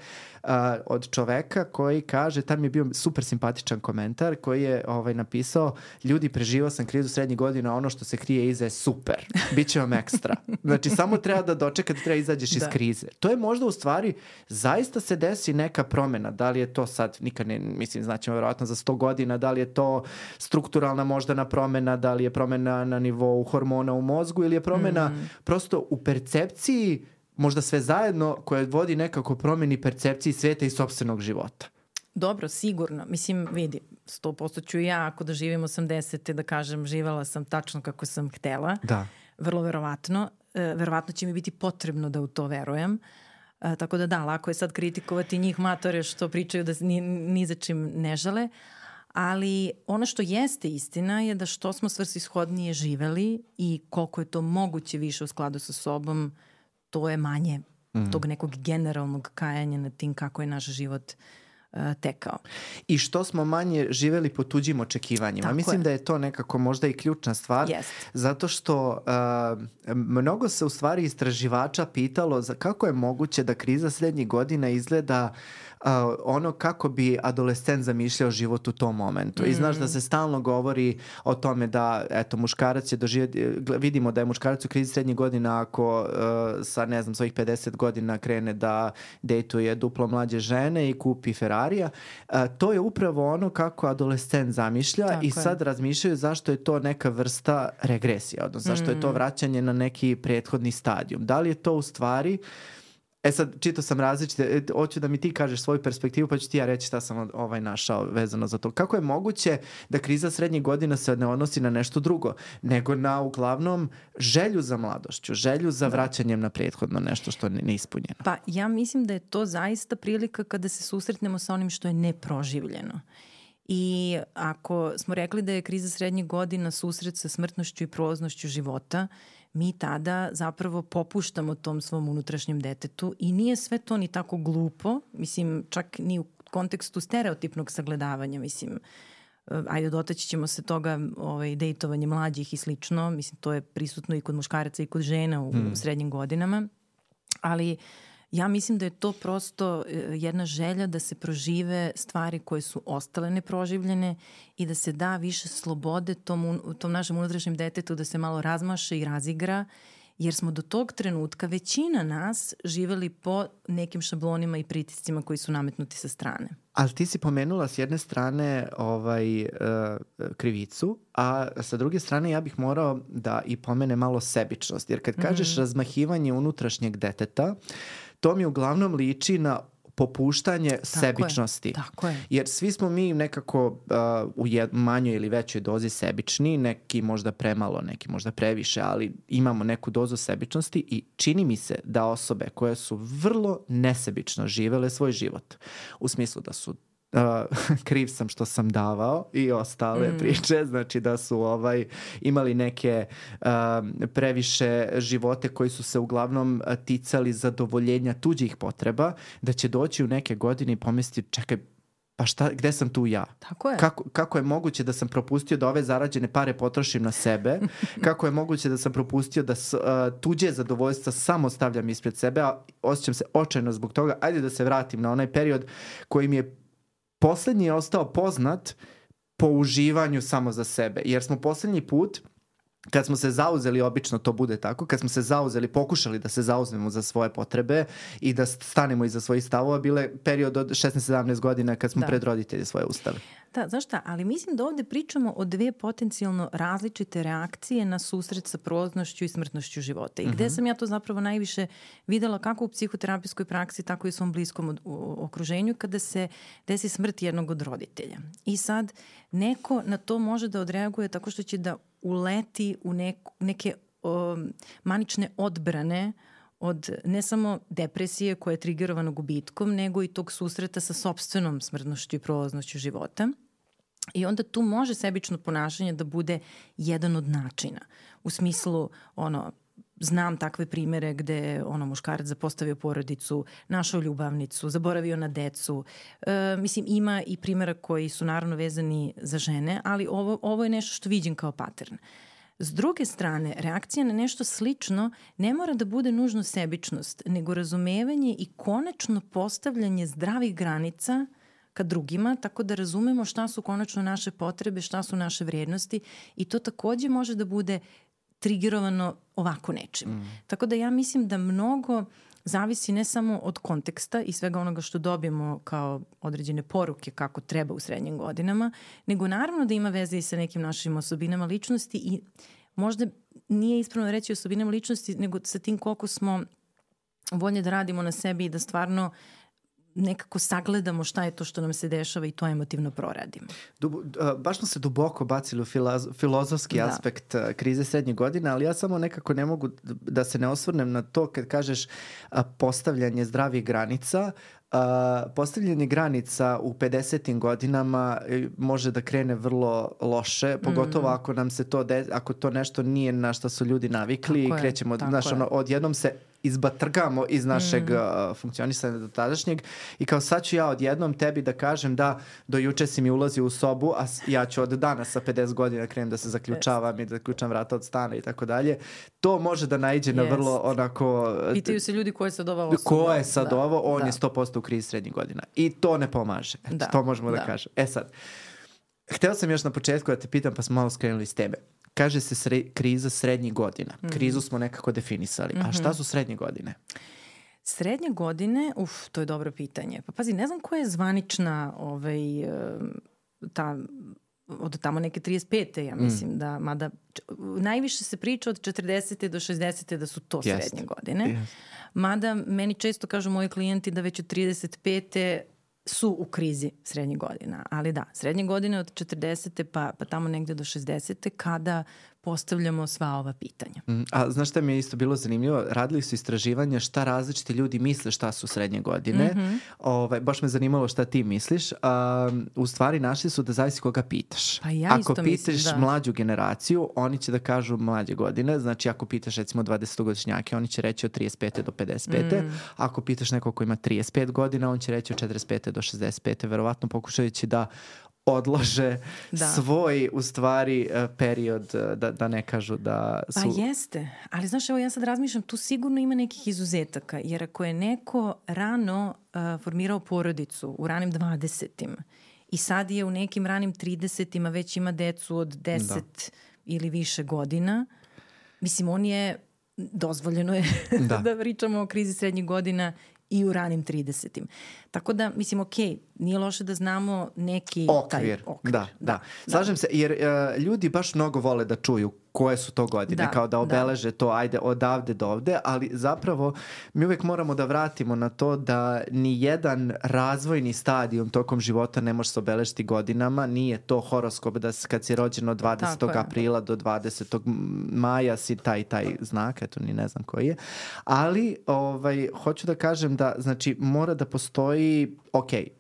od čoveka koji kaže, tam je bio super simpatičan komentar koji je napisao: ljudi, preživao sam krizu srednjih godina, ono što se krije iza je super, bit će vam ekstra. Znači, samo treba da dočekati, treba izađeš iz krize. To je možda u stvari, zaista se desi neka promena, da li je to sad, nikad ne, mislim, znaćemo verovatno za 100 godina, da li je to strukturalna moždana promena, da li je promena na nivou hormona u mozgu ili je promena prosto u percepciji, možda sve zajedno, koja vodi nekako promeni percepciji sveta i sopstvenog života. Dobro, sigurno. Mislim, vidi, 100% ću ja, ako da živim 80. da kažem, živela sam tačno kako sam htela. Da. Vrlo verovatno. verovatno će mi biti potrebno da u to verujem. Tako da, lako je sad kritikovati njih matore što pričaju da ni za čim ne žale, ali ono što jeste istina je da što smo svrsishodnije živeli i koliko je to moguće više u skladu sa sobom, to je manje tog nekog generalnog kajanja nad tim kako je naš život tekao. I što smo manje živeli po tuđim očekivanjima. Tako Mislim da je to nekako možda i ključna stvar, zato što mnogo se u stvari istraživača pitalo kako je moguće da kriza srednjih godina izgleda ono kako bi adolescent zamišljao život u tom momentu. I znaš da se stalno govori o tome da muškarac će doživjeti, vidimo da je muškarac u krizi srednjih godina ako sa svojih 50 godina krene da dejtuje duplo mlađe žene i kupi Ferrarija. To je upravo ono kako adolescent zamišlja. Tako i sad razmišljaju zašto je to neka vrsta regresija, odnosno zašto je to vraćanje na neki prethodni stadijum. Da li je to u stvari... sad, čitao sam različite, hoću da mi ti kažeš svoju perspektivu, pa ću ti ja reći šta sam našao vezano za to. Kako je moguće da kriza srednjih godina se ne odnosi na nešto drugo, nego na uglavnom želju za mladošću, želju za vraćanjem na prethodno nešto što je neispunjeno? Pa ja mislim da je to zaista prilika kada se susretnemo sa onim što je neproživljeno. I ako smo rekli da je kriza srednjih godina susret sa smrtnošću i prolaznošću života, mi tada zapravo popuštamo tom svom unutrašnjem detetu i nije sve to ni tako glupo, mislim čak ni u kontekstu stereotipnog sagledavanja, mislim, ajde dotaći ćemo se toga dejtovanje mlađih i slično, mislim to je prisutno i kod muškaraca i kod žena u srednjim godinama, ali ja mislim da je to prosto jedna želja da se prožive stvari koje su ostale neproživljene i da se da više slobode tom našem unutrašnjem detetu da se malo razmaše i razigra, jer smo do tog trenutka većina nas živeli po nekim šablonima i pritiscima koji su nametnuti sa strane. Ali ti si pomenula s jedne strane krivicu, a sa druge strane ja bih morao da i pomene malo sebičnost. Jer kad kažeš razmahivanje unutrašnjeg deteta, to mi uglavnom liči na popuštanje sebičnosti. Tako je. Jer svi smo mi nekako u manjoj ili većoj dozi sebični, neki možda premalo, neki možda previše, ali imamo neku dozu sebičnosti i čini mi se da osobe koje su vrlo nesebično živele svoj život, u smislu da su kriv sam što sam davao i ostale priče, znači da su imali neke previše živote koji su se uglavnom ticali zadovoljenja tuđih potreba, da će doći u neke godine i pomisliti čekaj, pa gde sam tu ja? Tako je. Kako je moguće da sam propustio da ove zarađene pare potrošim na sebe? Kako je moguće da sam propustio da tuđe zadovoljstva samo stavljam ispred sebe, a osjećam se očajno zbog toga? Ajde da se vratim na onaj period koji mi je poslednji je ostao poznat po uživanju samo za sebe. Jer smo poslednji put, kad smo se zauzeli, obično to bude tako, kad smo se zauzeli, pokušali da se zauzmemo za svoje potrebe i da stanemo iza svojih stavova, bile period od 16-17 godina kad smo pred roditelje svoje ustali. Da, znaš šta, ali mislim da ovde pričamo o dve potencijalno različite reakcije na susret sa prolaznošću i smrtnošću života. I gde sam ja to zapravo najviše videla kako u psihoterapijskoj praksi, tako i u svom bliskom okruženju kada se desi smrt jednog od roditelja. I sad neko na to može da odreaguje tako što će da uleti u neke manične odbrane od ne samo depresije koja je trigerovana gubitkom, nego i tog susreta sa sopstvenom smrtnošću i prolaznošću života. I onda tu može sebično ponašanje da bude jedan od načina. U smislu, znam takve primere gde muškarac zapostavio porodicu, našao ljubavnicu, zaboravio na decu. Mislim, ima i primjera koji su naravno vezani za žene, ali ovo je nešto što vidim kao pattern. S druge strane, reakcija na nešto slično ne mora da bude nužno sebičnost, nego razumevanje i konačno postavljanje zdravih granica ka drugima, tako da razumemo šta su konačno naše potrebe, šta su naše vrednosti i to takođe može da bude trigerovano ovako nečim. Tako da ja mislim da mnogo zavisi ne samo od konteksta i svega onoga što dobijemo kao određene poruke kako treba u srednjim godinama, nego naravno da ima veze i sa nekim našim osobinama ličnosti i možda nije ispravno reći osobinama ličnosti, nego sa tim koliko smo voljni da radimo na sebi i da stvarno nekako sagledamo šta je to što nam se dešava i to emotivno proradimo. Baš smo se duboko bacili u filozofski aspekt krize srednjih godina, ali ja samo nekako ne mogu da se ne osvrnem na to kad kažeš postavljanje zdravih granica. Postavljanje granica u 50. godinama može da krene vrlo loše, pogotovo ako nam se to ako to nešto nije na što su ljudi navikli i krećemo, odjednom se izbatrgamo iz našeg funkcionisanja do tadašnjeg i kao sad ću ja odjednom tebi da kažem da do juče si mi ulazio u sobu, a ja ću od danas sa 50 godina krenem da se zaključavam i da zaključam vrata od stana i tako dalje. To može da naiđe na vrlo onako... Pitaju se ljudi ko je sad ova osoba. Ko je sad ovo? On je 100% u krizi srednjih godina. I to ne pomaže. To možemo da kažem. Sad, hteo sam još na početku da te pitam, pa smo malo skrenuli s tebe. Kaže se kriza srednjih godina. Krizu smo nekako definisali. A šta su srednje godine? Srednje godine, to je dobro pitanje. Pa pazi, ne znam koja je zvanična od tamo neke 35. ja mislim da, mada najviše se priča od 40. do 60. da su to srednje godine. Mada meni često kažu moji klijenti da već od 35. su u krizi srednjih godina. Ali da, srednje godine od 40. pa tamo negde do 60. kada postavljamo sva ova pitanja. A znaš šta mi je isto bilo zanimljivo? Radili su istraživanja šta različiti ljudi misle šta su srednje godine. Baš me zanimalo šta ti misliš. U stvari našli su da zavisi koga pitaš. Pa ja ako pitaš mlađu generaciju, oni će da kažu mlađe godine. Znači ako pitaš recimo 20-godišnjake, oni će reći od 35. do 55. Ako pitaš nekog ko ima 35 godina, on će reći od 45. do 65. Verovatno pokušajući da odlože svoj, u stvari, period da ne kažu da su... Pa jeste, ali znaš, evo ja sad razmišljam, tu sigurno ima nekih izuzetaka, jer ako je neko rano formirao porodicu u ranim 20-im i sad je u nekim ranim 30-ima već ima decu od 10 ili više godina, mislim, on je, dozvoljeno je da pričamo o krizi srednjih godina i u ranim 30-im. Tako da, mislim, nije loše da znamo neki okvir. Da. Slažem se, jer ljudi baš mnogo vole da čuju koje su to godine, kao da obeleže to, ajde, odavde do ovde, ali zapravo mi uvek moramo da vratimo na to da ni jedan razvojni stadijum tokom života ne može se obeležiti godinama, nije to horoskop da kad si rođen od 20. aprila do 20. maja si taj znak, eto ni ne znam koji je, ali hoću da kažem da, znači, mora da postoji,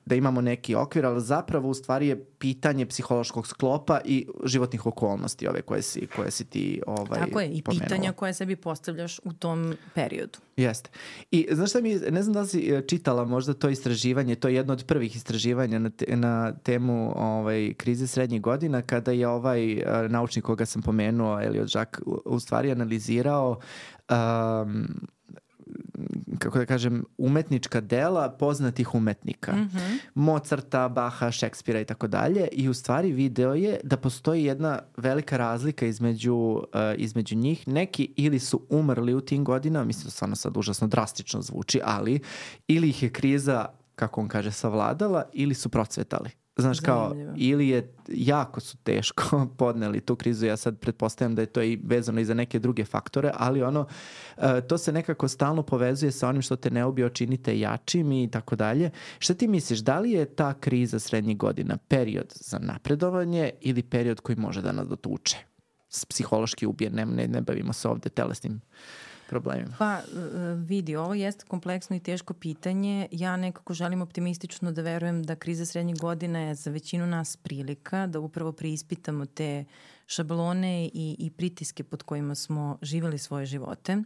da imamo neki okvir, ali zapravo u stvari je pitanje psihološkog sklopa i životnih okolnosti ove koje si ti Tako je, i pomenula. Pitanja koje sebi postavljaš u tom periodu. Jeste. I znaš šta ne znam da li si čitala možda to istraživanje, to je jedno od prvih istraživanja na temu krize srednjih godina, kada je naučnik koga sam pomenuo, Elliot Jaques, u stvari analizirao kako da kažem, umetnička dela poznatih umetnika. Mozarta, Baha, Šekspira i tako dalje. I u stvari video je da postoji jedna velika razlika između njih. Neki ili su umrli u tim godinama, mislim da stvarno sad užasno drastično zvuči, ali ili ih je kriza, kako on kaže, savladala, ili su procvetali. Znaš, kao, ili je jako su teško podneli tu krizu, ja sad pretpostavljam da je to i vezano i za neke druge faktore, ali to se nekako stalno povezuje sa onim što te ne ubije, činite jačim i tako dalje. Šta ti misliš, da li je ta kriza srednjih godina period za napredovanje ili period koji može da nas dotuče? Psihološki ubije, ne bavimo se ovde telesnim problemima. Pa vidi, ovo jeste kompleksno i teško pitanje. Ja nekako želim optimistično da verujem da kriza srednjih godina je za većinu nas prilika da upravo preispitamo te šablone i pritiske pod kojima smo živjeli svoje živote.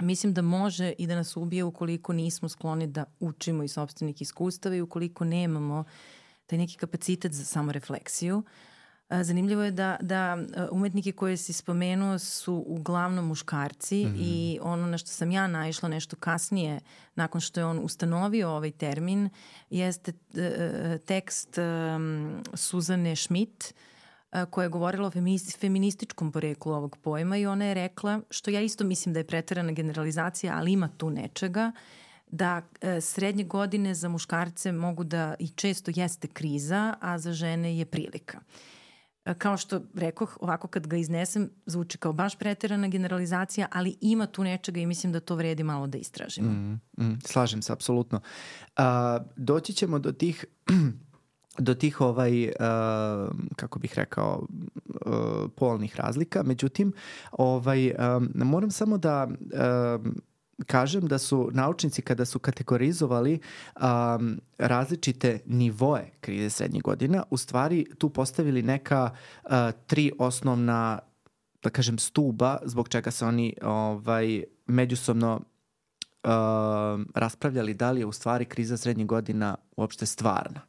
Mislim da može i da nas ubije ukoliko nismo skloni da učimo iz sopstvenih iskustava i ukoliko nemamo taj neki kapacitet za samorefleksiju. Zanimljivo je da umetnike koje si spomenuo su uglavnom muškarci i ono na što sam ja naišla nešto kasnije, nakon što je on ustanovio ovaj termin, jeste tekst Suzane Schmidt koja je govorila o feminističkom poreklu ovog pojma i ona je rekla, što ja isto mislim da je preterana generalizacija, ali ima tu nečega, da srednje godine za muškarce mogu da i često jeste kriza, a za žene je prilika. kao što rekoh, ovako kad ga iznesem, zvuči kao baš preterana generalizacija, ali ima tu nečega i mislim da to vredi malo da istražimo. Slažem se, apsolutno. Doći ćemo do tih kako bih rekao, polnih razlika. Međutim, moram samo da kažem da su naučnici kada su kategorizovali različite nivoe krize srednjih godina, u stvari tu postavili neka 3 osnovna, da kažem, stuba zbog čega se oni međusobno raspravljali da li je u stvari kriza srednjih godina uopšte stvarna.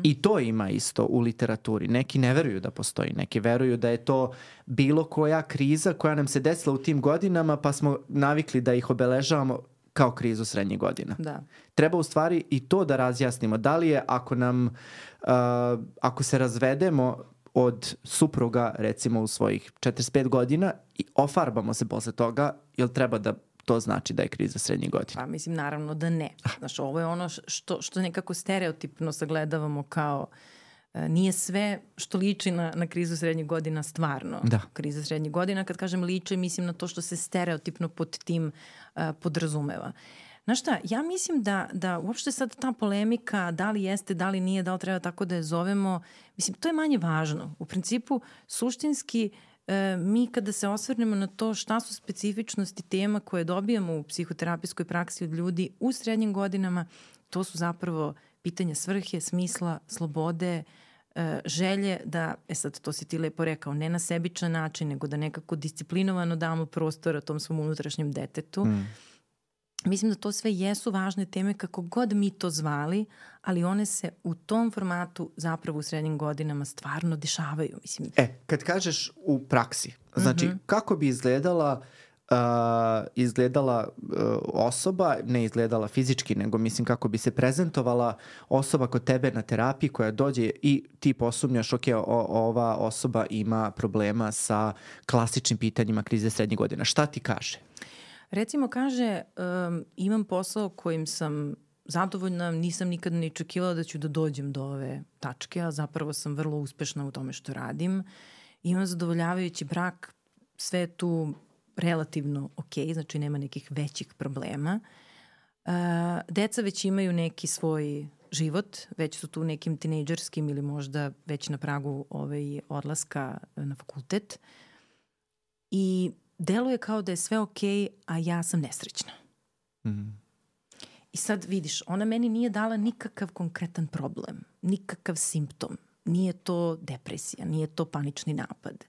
I to ima isto u literaturi. Neki ne veruju da postoji, neki veruju da je to bilo koja kriza koja nam se desila u tim godinama, pa smo navikli da ih obeležavamo kao krizu srednjih godina. Da. Treba u stvari i to da razjasnimo. Da li je ako se razvedemo od supruga, recimo u svojih 45 godina i ofarbamo se posle toga, jel treba da to znači da je kriza srednjih godina? Pa mislim, naravno da ne. Znaš, ovo je ono što nekako stereotipno sagledavamo kao nije sve što liči na krizu srednjih godina stvarno. Da. Kriza srednjih godina, kad kažem liči, mislim na to što se stereotipno pod tim podrazumeva. Znaš šta, ja mislim da uopšte sad ta polemika, da li jeste, da li nije, da li treba tako da je zovemo, mislim, to je manje važno. U principu, suštinski, mi kada se osvrnemo na to šta su specifičnosti tema koje dobijamo u psihoterapijskoj praksi od ljudi u srednjim godinama, to su zapravo pitanja svrhe, smisla, slobode, želje da, sad to si ti lepo rekao, ne na sebičan način, nego da nekako disciplinovano damo prostora tom svom unutrašnjem detetu. Mislim da to sve jesu važne teme kako god mi to zvali, ali one se u tom formatu zapravo u srednjim godinama stvarno dešavaju. Mislim. Kad kažeš u praksi, znači kako bi izgledala osoba, ne izgledala fizički, nego mislim kako bi se prezentovala osoba kod tebe na terapiji koja dođe i ti posumnjaš, ok, ova osoba ima problema sa klasičnim pitanjima krize srednjih godina. Šta ti kaže? Recimo kaže, imam posao kojim sam zadovoljna, nisam nikad ni očekivala da ću da dođem do ove tačke, a zapravo sam vrlo uspešna u tome što radim. Imam zadovoljavajući brak, sve je tu relativno ok, znači nema nekih većih problema. Deca već imaju neki svoj život, već su tu nekim tinejdžerskim ili možda već na pragu odlaska na fakultet. I deluje kao da je sve okej, a ja sam nesrećna. I sad vidiš, ona meni nije dala nikakav konkretan problem, nikakav simptom. Nije to depresija, nije to panični napad.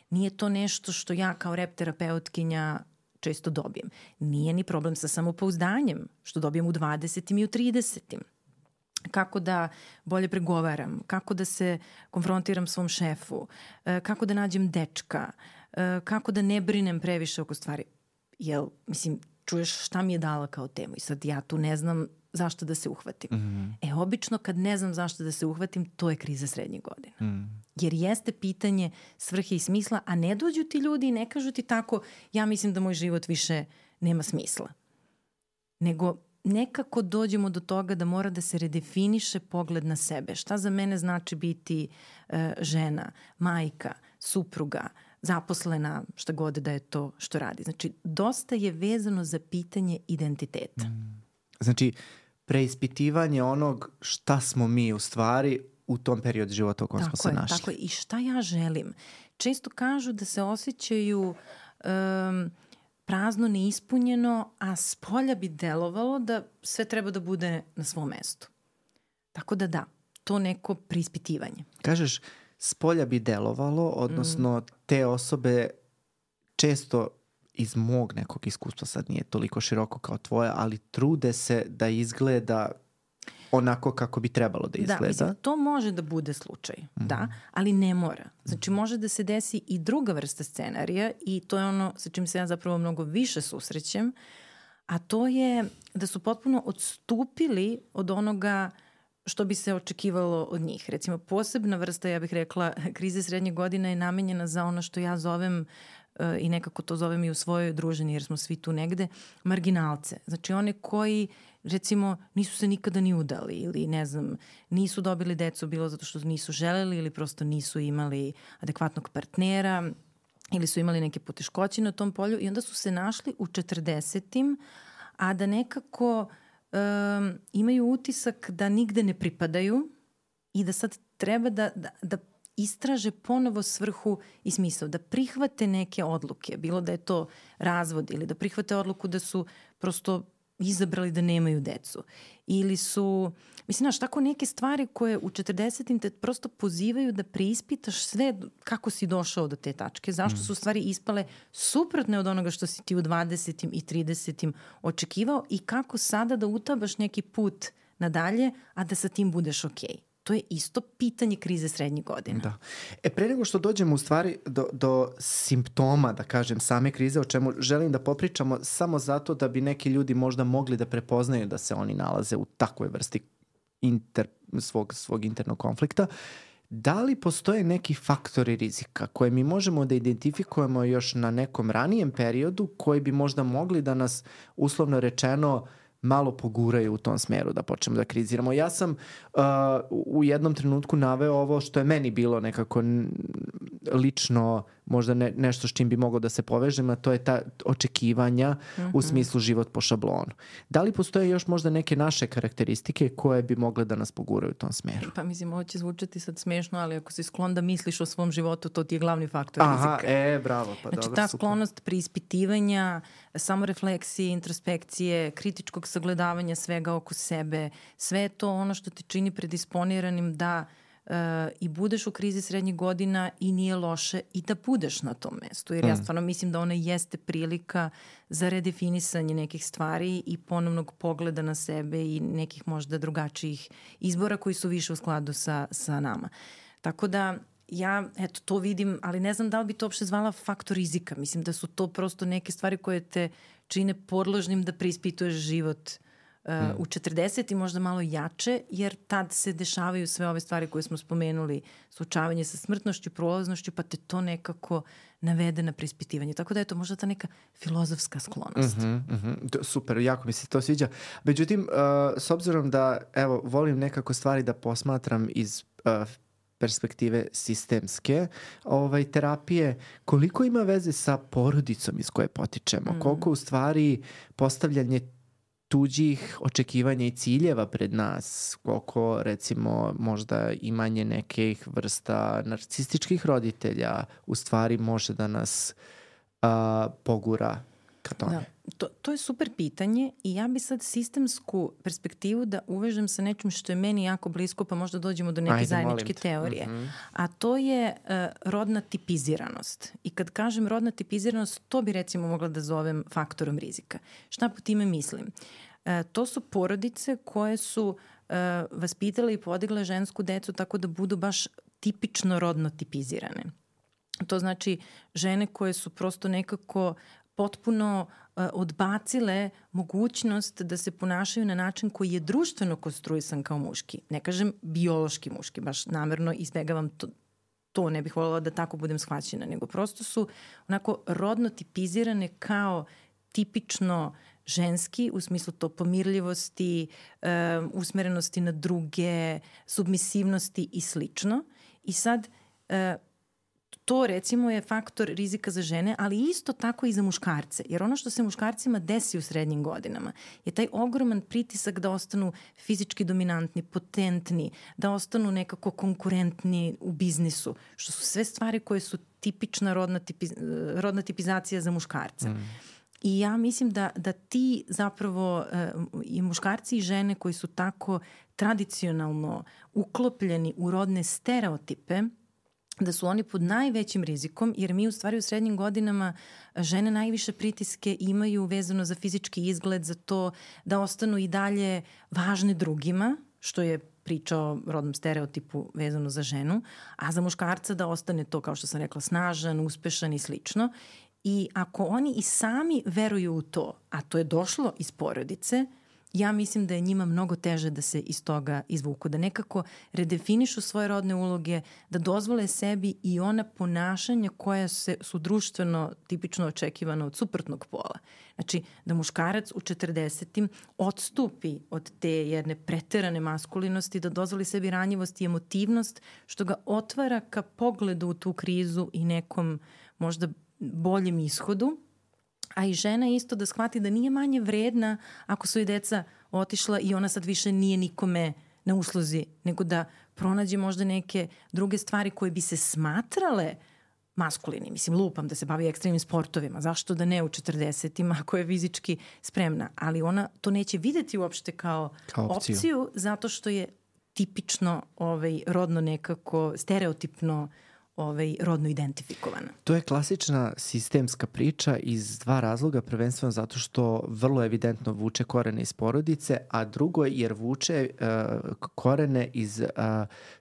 Nije to nešto što ja kao rep terapeutkinja često dobijem. Nije ni problem sa samopouzdanjem, što dobijem u 20. i u 30. Kako da bolje pregovaram, kako da se konfrontiram svom šefu, kako da nađem dečka, kako da ne brinem previše oko stvari. Jel, mislim, čuješ šta mi je dala kao temu i sad ja tu ne znam zašto da se uhvatim. Obično kad ne znam zašto da se uhvatim, to je kriza srednjih godina. Jer jeste pitanje svrhe i smisla, a ne dođu ti ljudi i ne kažu ti tako, ja mislim da moj život više nema smisla. Nego nekako dođemo do toga da mora da se redefiniše pogled na sebe. Šta za mene znači biti žena, majka, supruga, zaposlena, šta god da je to što radi. Znači, dosta je vezano za pitanje identiteta. Znači, preispitivanje onog šta smo mi u stvari u tom periodu života u kojem smo se našli. Tako je. I šta ja želim? Često kažu da se osjećaju prazno, neispunjeno, a spolja bi delovalo da sve treba da bude na svom mestu. Tako da, to neko preispitivanje. Kažeš, spolja bi delovalo, odnosno te osobe često iz mog nekog iskustva, sad nije toliko široko kao tvoje, ali trude se da izgleda onako kako bi trebalo da izgleda. Da, mislim, to može da bude slučaj, da, ali ne mora. Znači, može da se desi i druga vrsta scenarija i to je ono sa čim se ja zapravo mnogo više susrećem, a to je da su potpuno odstupili od onoga što bi se očekivalo od njih. Recimo, posebna vrsta, ja bih rekla, krize srednje godine je namenjena za ono što ja zovem i nekako to zovem i u svojoj družini jer smo svi tu negde, marginalce. Znači one koji recimo nisu se nikada ni udali ili ne znam, nisu dobili decu bilo zato što nisu želeli ili prosto nisu imali adekvatnog partnera ili su imali neke poteškoće na tom polju i onda su se našli u 40-im, a da nekako imaju utisak da nigde ne pripadaju i da sad treba da istraže ponovo svrhu i smisao, da prihvate neke odluke, bilo da je to razvod ili da prihvate odluku da su prosto izabrali da nemaju decu. Ili su, mislim, znaš, tako neke stvari koje u 40-im te prosto pozivaju da preispitaš sve kako si došao do te tačke, zašto su stvari ispale suprotne od onoga što si ti u 20-im i 30-im očekivao i kako sada da utabaš neki put nadalje, a da sa tim budeš okej. To je isto pitanje krize srednjih godina. Da. Pre nego što dođemo u stvari do simptoma, da kažem, same krize, o čemu želim da popričamo samo zato da bi neki ljudi možda mogli da prepoznaju da se oni nalaze u takvoj vrsti svog internog konflikta, da li postoje neki faktori rizika koje mi možemo da identifikujemo još na nekom ranijem periodu koji bi možda mogli da nas, uslovno rečeno, malo poguraju u tom smeru da počnemo da kriziramo. Ja sam u jednom trenutku naveo ovo što je meni bilo nekako lično možda nešto s čim bi moglo da se povežem, a to je ta očekivanja u smislu život po šablonu. Da li postoje još možda neke naše karakteristike koje bi mogle da nas poguraju u tom smeru? Pa mislim, ovo će zvučati sad smešno, ali ako si sklon da misliš o svom životu, to ti je glavni faktor rizika. Bravo, pa znači, dobro, ta super. sklonost preispitivanja, samorefleksije, introspekcije, kritičkog sagledavanja svega oko sebe, sve je to ono što te čini predisponiranim da i budeš u krizi srednjih godina i nije loše i da budeš na tom mestu. Jer ja stvarno mislim da ona jeste prilika za redefinisanje nekih stvari i ponovnog pogleda na sebe i nekih možda drugačijih izbora koji su više u skladu sa nama. Tako da ja, to vidim, ali ne znam da li bi to uopšte zvala faktor rizika. Mislim da su to prosto neke stvari koje te čine podložnim da preispituješ život u 40 i možda malo jače, jer tad se dešavaju sve ove stvari koje smo spomenuli, suočavanje sa smrtnošću, prolaznošću, pa te to nekako navede na preispitivanje. Tako da je to možda ta neka filozofska sklonost. Super, jako mi se to sviđa. Međutim, s obzirom da, volim nekako stvari da posmatram iz perspektive sistemske terapije, koliko ima veze sa porodicom iz koje potičemo? Koliko u stvari postavljanje tuđih očekivanja i ciljeva pred nas, koliko recimo možda imanje nekih vrsta narcističkih roditelja u stvari može da nas pogura ka tome. To je super pitanje i ja bi sad sistemsku perspektivu da uvežem sa nečim što je meni jako blisko, pa možda dođemo do neke zajedničke teorije. A to je rodna tipiziranost. I kad kažem rodna tipiziranost, to bi recimo mogla da zovem faktorom rizika. Šta po time mislim? To su porodice koje su vaspitale i podigle žensku decu tako da budu baš tipično rodno tipizirane. To znači žene koje su prosto nekako potpuno odbacile mogućnost da se ponašaju na način koji je društveno konstruisan kao muški. Ne kažem biološki muški, baš namerno izbegavam to, ne bih voljela da tako budem shvaćena, nego prosto su onako rodno tipizirane kao tipično ženski, u smislu to pomirljivosti, usmerenosti na druge, submisivnosti i slično. I sad to recimo je faktor rizika za žene, ali isto tako i za muškarce. Jer ono što se muškarcima desi u srednjim godinama je taj ogroman pritisak da ostanu fizički dominantni, potentni, da ostanu nekako konkurentni u biznisu, što su sve stvari koje su tipična rodna tipizacija za muškarca. I ja mislim da ti zapravo i muškarci i žene koji su tako tradicionalno uklopljeni u rodne stereotipe, da su oni pod najvećim rizikom, jer mi u stvari u srednjim godinama žene najviše pritiske imaju vezano za fizički izgled, za to da ostanu i dalje važne drugima, što je priča o rodnom stereotipu vezano za ženu, a za muškarca da ostane to, kao što sam rekla, snažan, uspešan i slično. I ako oni i sami veruju u to, a to je došlo iz porodice, ja mislim da je njima mnogo teže da se iz toga izvuku, da nekako redefinišu svoje rodne uloge, da dozvole sebi i ona ponašanja koja su društveno tipično očekivana od suprotnog pola. Znači, da muškarac u 40. odstupi od te jedne preterane maskulinosti, da dozvoli sebi ranjivost i emotivnost, što ga otvara ka pogledu u tu krizu i nekom možda boljem ishodu, a i žena isto da shvati da nije manje vredna ako su i deca otišla i ona sad više nije nikome na usluzi, nego da pronađe možda neke druge stvari koje bi se smatrale maskulini. Mislim, lupam da se bavi ekstremnim sportovima. Zašto da ne u 40-ima ako je fizički spremna? Ali ona to neće videti uopšte kao opciju zato što je tipično rodno nekako stereotipno rodno identifikovana. To je klasična sistemska priča iz dva razloga, prvenstveno zato što vrlo evidentno vuče korene iz porodice, a drugo jer vuče korene iz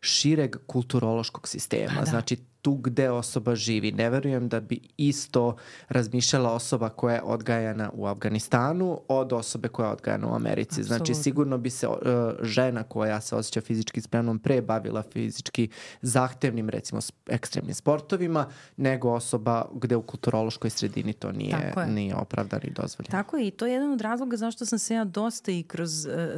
šireg kulturološkog sistema. Da. Znači, tu gde osoba živi. Ne verujem da bi isto razmišljala osoba koja je odgajana u Afganistanu od osobe koja je odgajana u Americi. Absolutno. Znači, sigurno bi se žena koja se osjeća fizički spremnom pre bavila fizički zahtevnim, recimo, ekstremnim sportovima, nego osoba gde u kulturološkoj sredini to nije opravdano i dozvoljeno. Tako je, i to je jedan od razloga zašto sam se ja dosta i kroz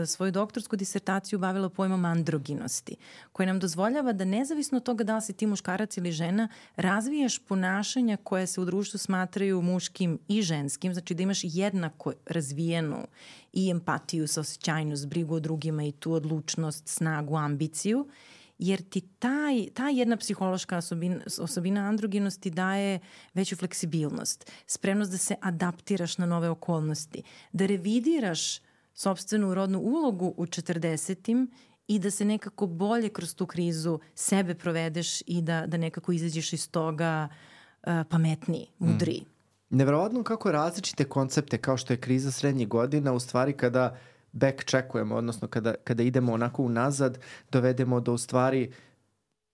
svoju doktorsku disertaciju bavila pojmom androginosti, koji nam dozvoljava da nezavisno od toga da li si ti muškarac ili žena, razvijaš ponašanja koje se u društvu smatraju muškim i ženskim, znači da imaš jednako razvijenu i empatiju, saosećajnost, brigu o drugima i tu odlučnost, snagu, ambiciju, jer ti ta jedna psihološka osobina androgenosti daje veću fleksibilnost, spremnost da se adaptiraš na nove okolnosti, da revidiraš sopstvenu rodnu ulogu u 40-im i da se nekako bolje kroz tu krizu sebe provedeš i da nekako izađeš iz toga pametniji, mudriji. Neverovatno kako različite koncepte kao što je kriza srednjih godina u stvari kada backcheckujemo, odnosno kada idemo onako unazad, dovedemo do u stvari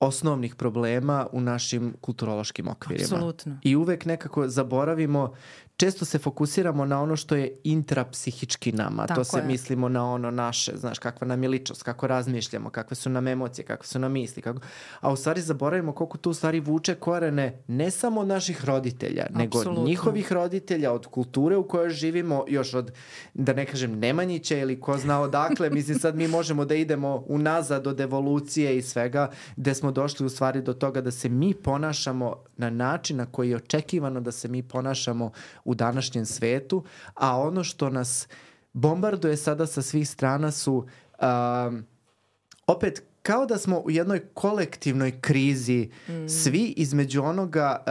osnovnih problema u našim kulturološkim okvirima. Apsolutno. I uvek nekako zaboravimo, često se fokusiramo na ono što je intrapsihički nama. Tako to se je. mislimo na ono naše, znaš, kakva nam je ličnost, kako razmišljamo, kakve su nam emocije, kakve su nam misli. A u stvari zaboravimo koliko tu u stvari vuče korene ne samo od naših roditelja, nego njihovih roditelja, od kulture u kojoj živimo, još od, da ne kažem, Nemanjića ili ko zna odakle. Mislim, sad mi možemo da idemo unazad od evolucije i svega, gde smo došli u stvari do toga da se mi ponašamo na način na koji je očekivano da se mi ponašamo u današnjem svetu, a ono što nas bombarduje sada sa svih strana su opet kao da smo u jednoj kolektivnoj krizi svi između onoga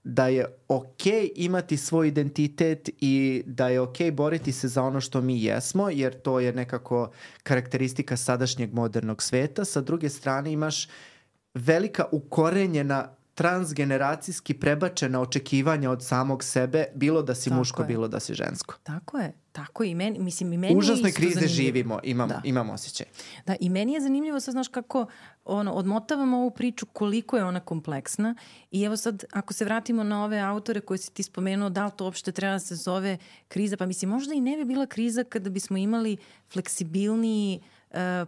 da je okej imati svoj identitet i da je okej boriti se za ono što mi jesmo, jer to je nekako karakteristika sadašnjeg modernog sveta. Sa druge strane imaš velika ukorenjena transgeneracijski prebačena očekivanja od samog sebe, bilo da si muško, bilo da si žensko. Tako je. I meni je užasnoj isto krize zanimljivo. živimo, imam osjećaj. Da, i meni je zanimljivo sad, znaš kako odmotavamo ovu priču koliko je ona kompleksna i evo sad, ako se vratimo na ove autore koje si ti spomenuo, da li to uopšte treba da se zove kriza, pa mislim, možda i ne bi bila kriza kada bismo imali fleksibilniji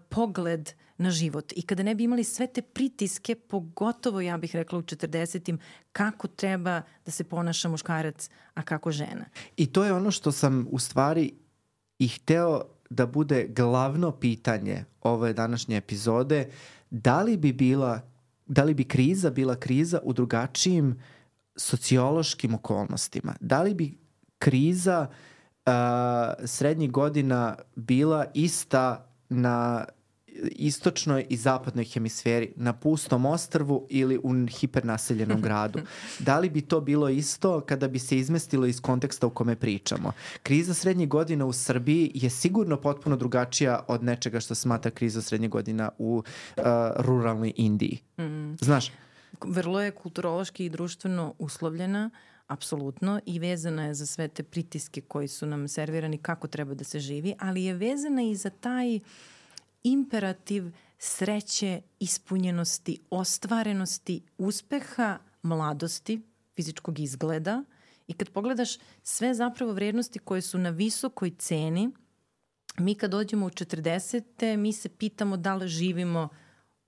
pogled na život i kada ne bi imali sve te pritiske, pogotovo ja bih rekla u 40-im, kako treba da se ponaša muškarac, a kako žena. I to je ono što sam u stvari i hteo da bude glavno pitanje ove današnje epizode, da li bi kriza bila kriza u drugačijim sociološkim okolnostima? Da li bi kriza srednjih godina bila ista na istočnoj i zapadnoj hemisferi, na pustom ostrvu ili u hipernaseljenom gradu? Da li bi to bilo isto kada bi se izmestilo iz konteksta u kome pričamo? Kriza srednjih godina u Srbiji je sigurno potpuno drugačija od nečega što smatra kriza srednjih godina u ruralnoj Indiji. Znaš? Vrlo je kulturološki i društveno uslovljena, apsolutno, i vezana je za sve te pritiske koji su nam servirani kako treba da se živi, ali je vezana i za taj imperativ sreće, ispunjenosti, ostvarenosti, uspeha, mladosti, fizičkog izgleda. I kad pogledaš sve zapravo vrednosti koje su na visokoj ceni mi kad dođemo u 40. mi se pitamo da li živimo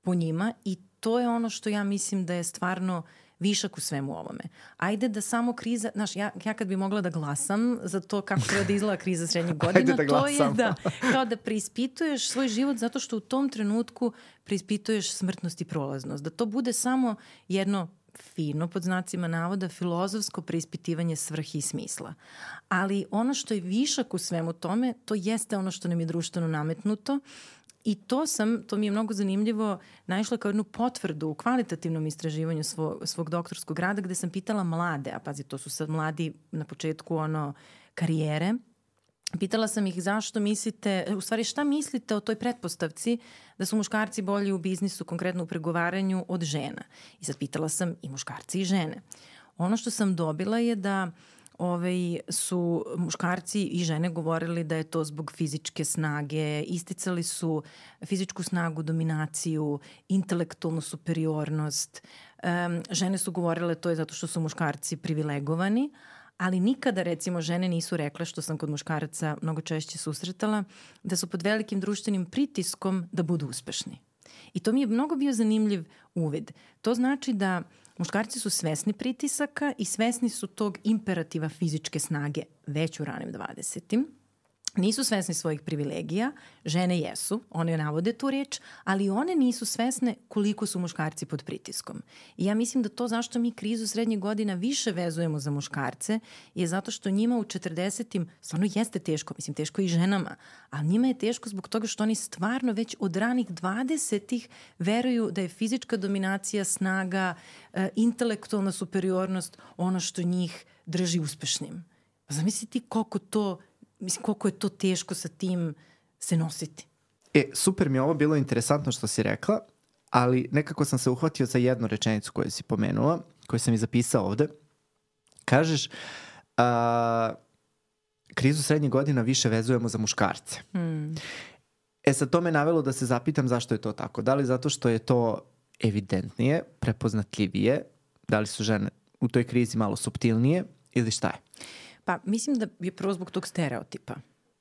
po njima i to je ono što ja mislim da je stvarno višak u svemu ovome. Ajde da samo kriza, znaš, ja kad bi mogla da glasam za to kako treba da izgleda kriza srednjih godina, to je kao da preispituješ svoj život zato što u tom trenutku preispituješ smrtnost i prolaznost. Da to bude samo jedno fino, pod znacima navoda, filozofsko preispitivanje svrhe i smisla. Ali ono što je višak u svemu tome, to jeste ono što nam je društveno nametnuto. I to mi je mnogo zanimljivo, naišla kao jednu potvrdu u kvalitativnom istraživanju svog doktorskog rada gde sam pitala mlade, a pazi, to su sad mladi na početku karijere, pitala sam ih zašto mislite, u stvari šta mislite o toj pretpostavci da su muškarci bolji u biznisu, konkretno u pregovaranju, od žena. I sad pitala sam i muškarci i žene. Ono što sam dobila je da su muškarci i žene govorili da je to zbog fizičke snage, isticali su fizičku snagu, dominaciju, intelektualnu superiornost. Žene su govorile to je zato što su muškarci privilegovani, ali nikada, recimo, žene nisu rekle, što sam kod muškaraca mnogo češće susretala, da su pod velikim društvenim pritiskom da budu uspešni. I to mi je mnogo bio zanimljiv uvid. To znači da muškarci su svesni pritisaka i svesni su tog imperativa fizičke snage već u ranim 20. Nisu svesni svojih privilegija, žene jesu, one navode tu reč, ali one nisu svesne koliko su muškarci pod pritiskom. I ja mislim da to zašto mi krizu srednjih godina više vezujemo za muškarce je zato što njima u 40. stvarno jeste teško, mislim teško i ženama, ali njima je teško zbog toga što oni stvarno već od ranih 20. veruju da je fizička dominacija, snaga, intelektualna superiornost ono što njih drži uspešnim. Zamisli ti koliko je to teško sa tim se nositi. Super mi je ovo bilo interesantno što si rekla, ali nekako sam se uhvatio za jednu rečenicu koju si pomenula, koju sam i zapisao ovde. Kažeš, krizu srednjih godina više vezujemo za muškarce. Sad to me navelo da se zapitam zašto je to tako. Da li zato što je to evidentnije, prepoznatljivije, da li su žene u toj krizi malo suptilnije ili šta je? Pa mislim da je prvo zbog tog stereotipa.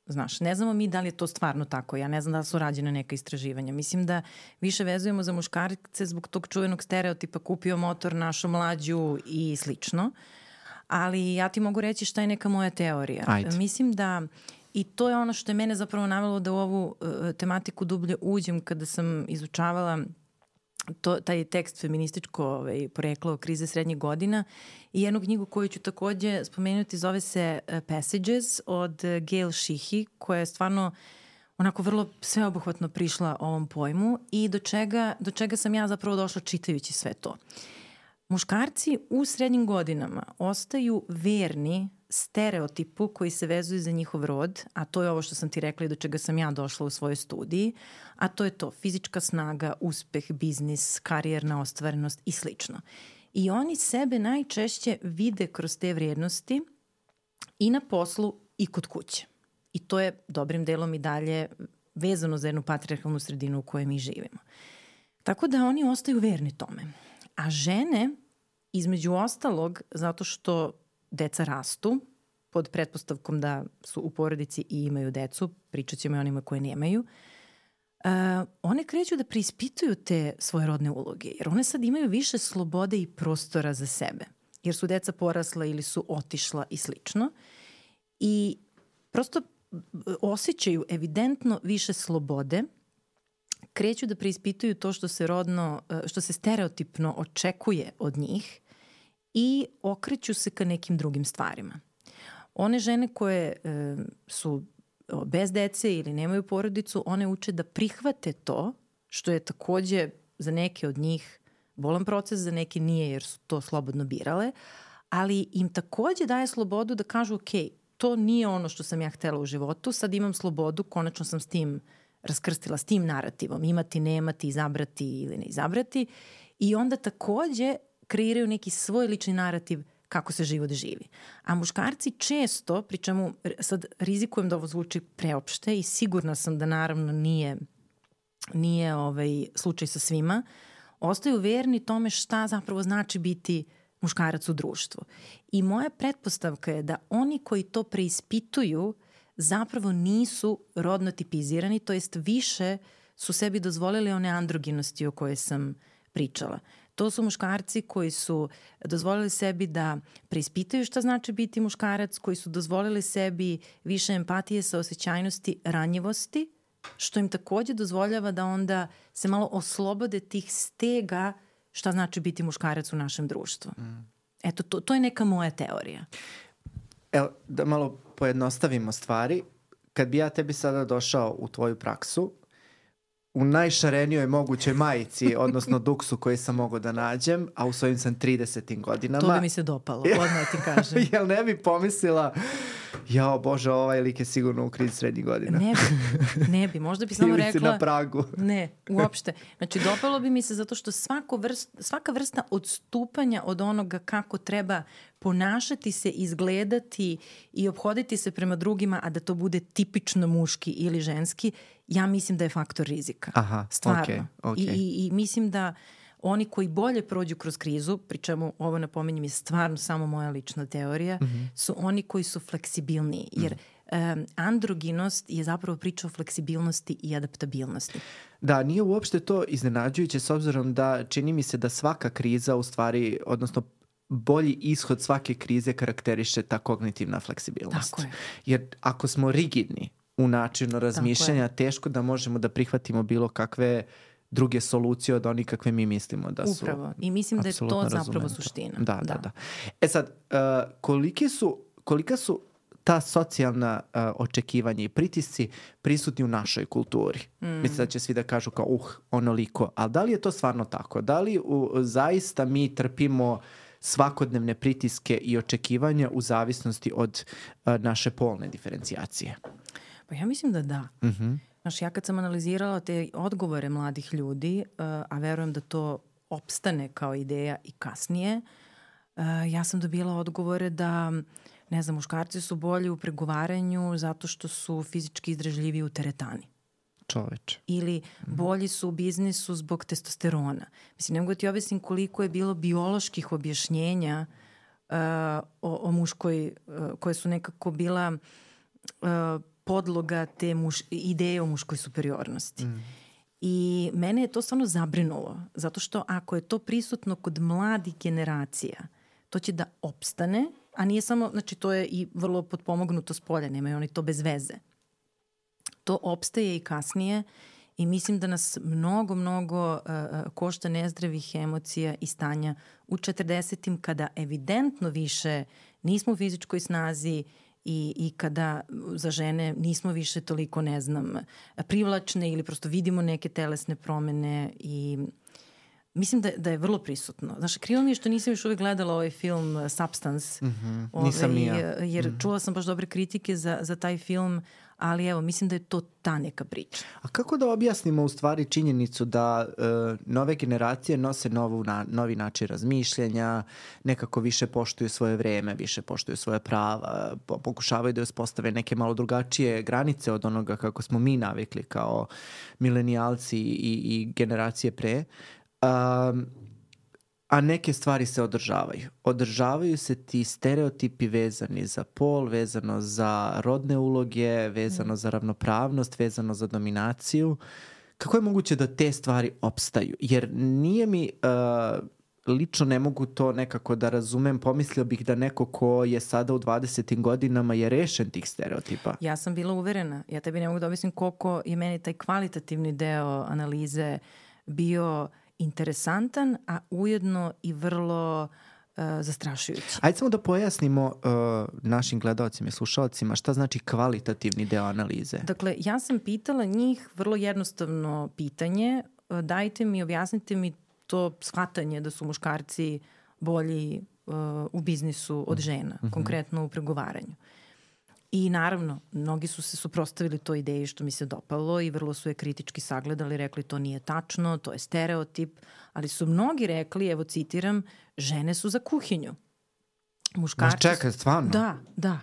Znaš, ne znamo mi da li je to stvarno tako. Ja ne znam da li su rađene neka istraživanja. Mislim da više vezujemo za muškarce zbog tog čuvenog stereotipa kupio motor, našu mlađu i slično. Ali ja ti mogu reći šta je neka moja teorija. Ajde. Mislim da i to je ono što je mene zapravo navelo da u ovu tematiku dublje uđem kada sam izučavala taj tekst feminističko poreklo krize srednjih godina i jednu knjigu koju ću takođe spomenuti, zove se Passages od Gail Sheehy, koja je stvarno onako vrlo sveobuhvatno prišla ovom pojmu i do čega sam ja zapravo došla čitajući sve to. Muškarci u srednjim godinama ostaju verni stereotipu koji se vezuje za njihov rod, a to je ovo što sam ti rekla i do čega sam ja došla u svojoj studiji, a to je to fizička snaga, uspeh, biznis, karijerna ostvarenost i slično. I oni sebe najčešće vide kroz te vrijednosti i na poslu i kod kuće. I to je dobrim delom i dalje vezano za jednu patrijarhalnu sredinu u kojoj mi živimo. Tako da oni ostaju verni tome. A žene, između ostalog, zato što deca rastu, pod pretpostavkom da su u porodici i imaju decu, pričat ćemo i onima koje nemaju, one kreću da preispituju te svoje rodne uloge, jer one sad imaju više slobode i prostora za sebe, jer su deca porasla ili su otišla i slično. I prosto osjećaju evidentno više slobode, kreću da preispituju to što se stereotipno očekuje od njih i okreću se ka nekim drugim stvarima. One žene koje su bez dece ili nemaju porodicu, one uče da prihvate to, što je takođe za neke od njih bolan proces, za neke nije jer su to slobodno birale, ali im takođe daje slobodu da kažu ok, to nije ono što sam ja htela u životu, sad imam slobodu, konačno sam s tim raskrstila, s tim narativom, imati, nemati, izabrati ili ne izabrati, i onda takođe kreiraju neki svoj lični narativ kako se život živi. A muškarci često, pri čemu sad rizikujem da ovo zvuči preopšte i sigurna sam da naravno nije slučaj sa svima, ostaju verni tome šta zapravo znači biti muškarac u društvu. I moja pretpostavka je da oni koji to preispituju zapravo nisu rodno tipizirani, to jest više su sebi dozvolili one androginosti o kojoj sam pričala. To su muškarci koji su dozvolili sebi da preispitaju šta znači biti muškarac, koji su dozvolili sebi više empatije, saosećajnosti, ranjivosti, što im takođe dozvoljava da onda se malo oslobode tih stega šta znači biti muškarac u našem društvu. Eto, to je neka moja teorija. Evo, da malo pojednostavimo stvari. Kad bi ja tebi sada došao u tvoju praksu, u najšarenijoj mogućoj majici, odnosno duksu koji sam mogao da nađem, a u svojim sam 30. godinama. To bi mi se dopalo, odmah ti kažem. Jel ne bi pomislila, jao Bože, ovaj lik je sigurno u krizi srednjih godina. Ne bi, možda bi samo rekla... Ili si na pragu. Ne, uopšte. Znači, dopalo bi mi se zato što svaka vrsta odstupanja od onoga kako treba ponašati se, izgledati i obhoditi se prema drugima, a da to bude tipično muški ili ženski, ja mislim da je faktor rizika. Aha, stvarno. Okay. I mislim da oni koji bolje prođu kroz krizu, pri čemu ovo napominjem je stvarno samo moja lična teorija, su oni koji su fleksibilniji. Jer androginost je zapravo priča o fleksibilnosti i adaptabilnosti. Da, nije uopšte to iznenađujuće s obzirom da čini mi se da svaka kriza u stvari, odnosno bolji ishod svake krize karakteriše ta kognitivna fleksibilnost. Tako je. Jer ako smo rigidni u načinu razmišljanja, teško da možemo da prihvatimo bilo kakve druge solucije od onih kakve mi mislimo da su. Upravo. I mislim da je to zapravo suština. Da. E sad, kolika su ta socijalna očekivanja i pritisci prisutni u našoj kulturi? Mislim da će svi da kažu kao onoliko. Ali da li je to stvarno tako? Da li zaista mi trpimo svakodnevne pritiske i očekivanja u zavisnosti od naše polne diferencijacije? Pa ja mislim da da. Znaš, ja kad sam analizirala te odgovore mladih ljudi, a verujem da to opstane kao ideja i kasnije, ja sam dobila odgovore da, ne znam, muškarci su bolji u pregovaranju zato što su fizički izdržljiviji u teretani. Čoveče. Ili bolji su u biznisu zbog testosterona. Mislim, ne mogu da ti objasnim koliko je bilo bioloških objašnjenja o muškoj, koje su nekako bila podloga te ideje o muškoj superiornosti. I mene je to stvarno zabrinulo, zato što ako je to prisutno kod mladih generacija, to će da opstane, a nije samo, znači to je i vrlo potpomognuto s polja, nemaju oni to bez veze. To opstaje i kasnije i mislim da nas mnogo košta nezdravih emocija i stanja u 40-im kada evidentno više nismo u fizičkoj snazi i kada za žene nismo više toliko, ne znam, privlačne ili prosto vidimo neke telesne promene i mislim da je vrlo prisutno. Znaš, krivo mi je što nisam još uvijek gledala ovaj film Substance. Nisam ni ja. Jer čula sam baš dobre kritike za taj film, ali evo, mislim da je to ta neka priča. A kako da objasnimo u stvari činjenicu da nove generacije nose novi način razmišljanja, nekako više poštuju svoje vreme, više poštuju svoje prava, pokušavaju da uspostave neke malo drugačije granice od onoga kako smo mi navikli kao milenijalci i generacije pre. A neke stvari se održavaju. Održavaju se ti stereotipi vezani za pol, vezano za rodne uloge, vezano za ravnopravnost, vezano za dominaciju. Kako je moguće da te stvari opstaju? Jer nije mi, lično ne mogu to nekako da razumem, pomislio bih da neko ko je sada u 20. godinama je rešen tih stereotipa. Ja sam bila uverena. Ja tebi ne mogu da objasnim koliko je meni taj kvalitativni deo analize bio interesantan, a ujedno i vrlo zastrašujući. Ajde samo da pojasnimo našim gledalcima i slušalcima šta znači kvalitativni deo analize. Dakle, ja sam pitala njih vrlo jednostavno pitanje, dajte mi, objasnite mi to shvatanje da su muškarci bolji u biznisu od žena, konkretno u pregovaranju. I naravno, mnogi su se suprotstavili toj ideji što mi se dopalo i vrlo su je kritički sagledali, rekli to nije tačno, to je stereotip, ali su mnogi rekli, evo citiram, žene su za kuhinju. Muškarci... Čekaj, stvarno? Da.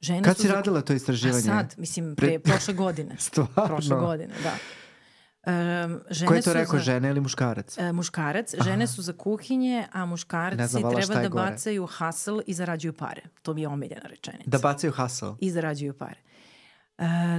Žene kad si radila to istraživanje? Sad, mislim, prošle godine. Stvarno? Prošle godine, da. Ko je to rekao, žene ili muškarac? Muškarac. Žene su za kuhinje, a muškarci treba da bacaju hustle i zarađuju pare. To mi je omiljena rečenica. Da bacaju hustle? I zarađuju pare.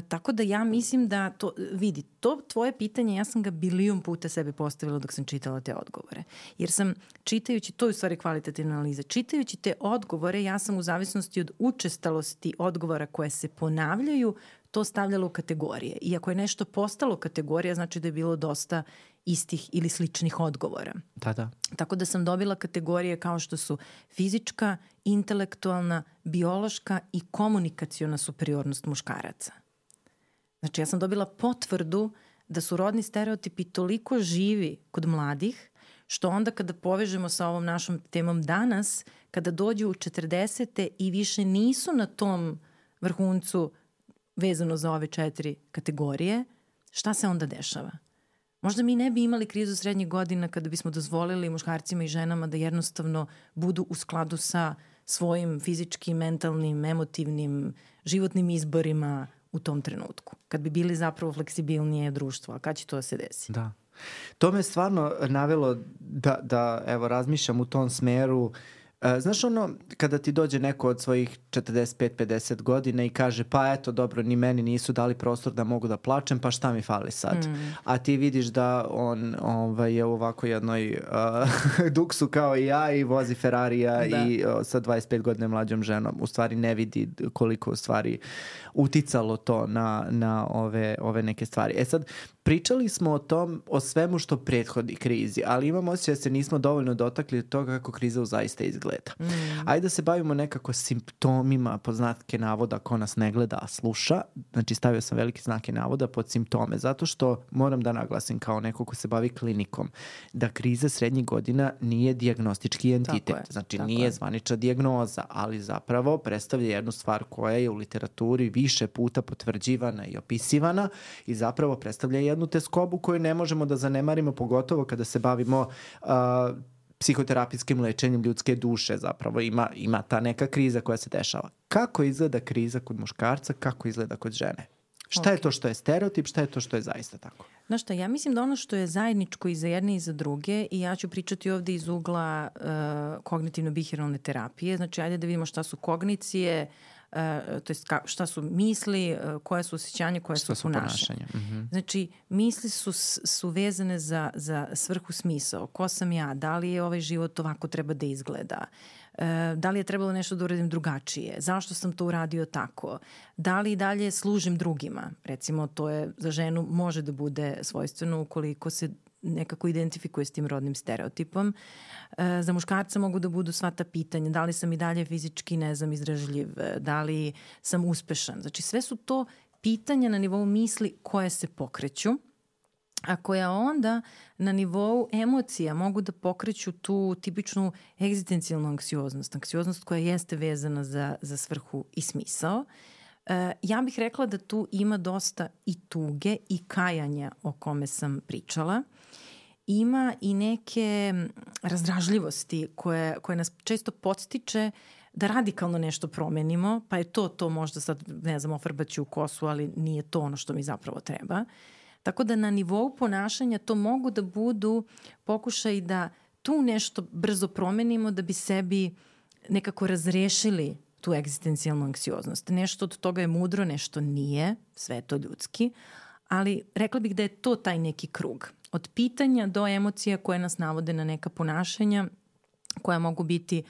Tako da ja mislim da to, vidi, to tvoje pitanje, ja sam ga bilion puta sebi postavila dok sam čitala te odgovore. Jer sam čitajući, to je u stvari kvalitativna analiza, čitajući te odgovore, ja sam u zavisnosti od učestalosti odgovora koje se ponavljaju, to stavljalo u kategorije. I ako je nešto postalo kategorija, znači da je bilo dosta istih ili sličnih odgovora. Da. Tako da sam dobila kategorije kao što su fizička, intelektualna, biološka i komunikaciona superiornost muškaraca. Znači ja sam dobila potvrdu da su rodni stereotipi toliko živi kod mladih, što onda kada povežemo sa ovom našom temom danas, kada dođu u 40. i više nisu na tom vrhuncu vezano za ove 4 kategorije, šta se onda dešava? Možda mi ne bi imali krizu srednjih godina kada bismo dozvolili muškarcima i ženama da jednostavno budu u skladu sa svojim fizičkim, mentalnim, emotivnim, životnim izborima u tom trenutku. Kad bi bili zapravo fleksibilnije društvo. A kad će to da se desi? Da. To me stvarno navelo da evo, razmišljam u tom smeru. Znaš ono, kada ti dođe neko od svojih 45-50 godina i kaže pa eto dobro, ni meni nisu dali prostor da mogu da plačem, pa šta mi fali sad? A ti vidiš da on je u ovako jednoj duksu kao i ja i vozi Ferrarija i sa 25 godina mlađom ženom. U stvari ne vidi koliko u stvari uticalo to na ove neke stvari. Sad, pričali smo o svemu što prethodi krizi, ali imam osjećaj da se nismo dovoljno dotakli od toga kako kriza zaista izgleda. Ajde da se bavimo nekako simptomima, pod znake navoda, ko nas ne gleda, a sluša. Znači stavio sam velike znake navoda pod simptome, zato što moram da naglasim kao neko ko se bavi klinikom, da kriza srednjih godina nije dijagnostički entitet. Znači nije zvanična dijagnoza, ali zapravo predstavlja jednu stvar koja je u literaturi više puta potvrđivana i opisivana i zapravo predstavlja jednu teskobu koju ne možemo da zanemarimo, pogotovo kada se bavimo psihoterapijskim lečenjem ljudske duše. Zapravo ima ta neka kriza koja se dešava. Kako izgleda kriza kod muškarca, kako izgleda kod žene? Šta je to što je stereotip, šta je to što je zaista tako? Znaš šta, ja mislim da ono što je zajedničko i za jedne i za druge, i ja ću pričati ovde iz ugla kognitivno-bihiralne terapije, znači ajde da vidimo šta su kognicije, to jest šta su misli, koje su osjećanja, koje su ponašanja. Znači, misli su vezane za svrhu, smisao. Ko sam ja? Da li je ovaj život ovako treba da izgleda? Da li je trebalo nešto da uradim drugačije? Zašto sam to uradio tako? Da li dalje služim drugima? Recimo, to je za ženu može da bude svojstveno ukoliko se nekako identifikuje s tim rodnim stereotipom. Za muškarca mogu da budu sva ta pitanja. Da li sam i dalje fizički, izdražljiv? Da li sam uspešan? Znači, sve su to pitanja na nivou misli koje se pokreću, a koja onda na nivou emocija mogu da pokreću tu tipičnu egzistencijalnu anksioznost. Anksioznost koja jeste vezana za svrhu i smisao. Ja bih rekla da tu ima dosta i tuge i kajanja o kome sam pričala. Ima i neke razdražljivosti koje nas često podstiče da radikalno nešto promenimo, pa je to možda sad, ofarbaću u kosu, ali nije to ono što mi zapravo treba. Tako da na nivou ponašanja to mogu da budu pokušaj da tu nešto brzo promenimo da bi sebi nekako razrešili tu egzistencijalnu anksioznost. Nešto od toga je mudro, nešto nije, sve je to ljudski, ali rekla bih da je to taj neki krug. Od pitanja do emocija koje nas navode na neka ponašanja koja mogu biti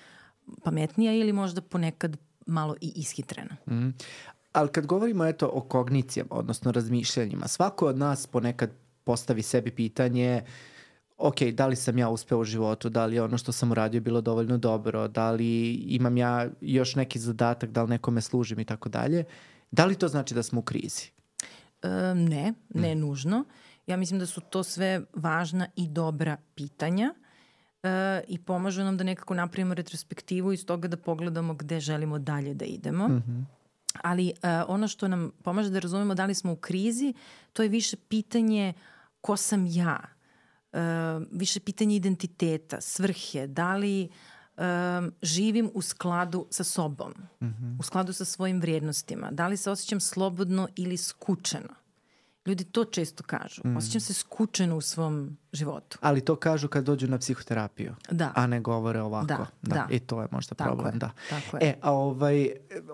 pametnija ili možda ponekad malo i ishitrena. Ali kad govorimo o kognicijama, odnosno razmišljanjima, svako od nas ponekad postavi sebi pitanje ok, da li sam ja uspeo u životu, da li je ono što sam uradio bilo dovoljno dobro, da li imam ja još neki zadatak, da li nekome služim i tako dalje. Da li to znači da smo u krizi? Ne nužno. Ja mislim da su to sve važna i dobra pitanja i pomažu nam da nekako napravimo retrospektivu iz toga da pogledamo gde želimo dalje da idemo. Ali ono što nam pomaže da razumemo da li smo u krizi, to je više pitanje ko sam ja, više pitanje identiteta, svrhe, da li živim u skladu sa sobom, u skladu sa svojim vrijednostima, da li se osjećam slobodno ili skučeno. Ljudi to često kažu. Osjećam se skučeno u svom životu. Ali to kažu kad dođu na psihoterapiju, a ne govore ovako. Da. I to je možda problem. Tako je.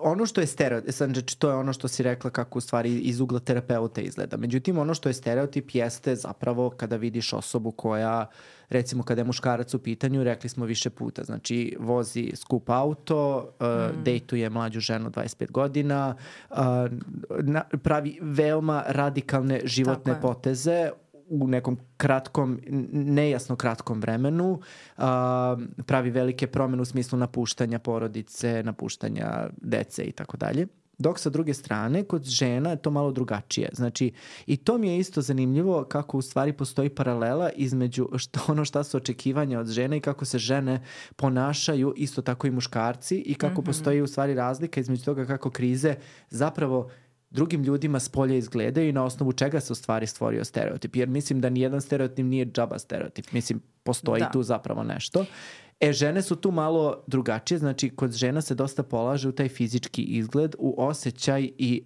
Ono što je stereotip, znači to je ono što si rekla kako u stvari iz ugla terapeuta izgleda. Međutim, ono što je stereotip jeste zapravo kada vidiš osobu koja, recimo kada je muškarac u pitanju, rekli smo više puta, znači vozi skup auto, dejtuje mlađu ženu 25 godina, pravi veoma radikalne životne poteze u nekom kratkom, nejasno kratkom vremenu, pravi velike promjene u smislu napuštanja porodice, napuštanja dece i tako dalje. Dok sa druge strane, kod žena je to malo drugačije. Znači, i to mi je isto zanimljivo kako u stvari postoji paralela između šta su očekivanja od žene i kako se žene ponašaju, isto tako i muškarci, i kako postoji u stvari razlika između toga kako krize zapravo drugim ljudima s polja izgledaju i na osnovu čega se u stvari stvorio stereotip. Jer mislim da nijedan stereotip nije džaba stereotip. Mislim, postoji tu zapravo nešto. Žene su tu malo drugačije, znači kod žena se dosta polaže u taj fizički izgled, u osjećaj i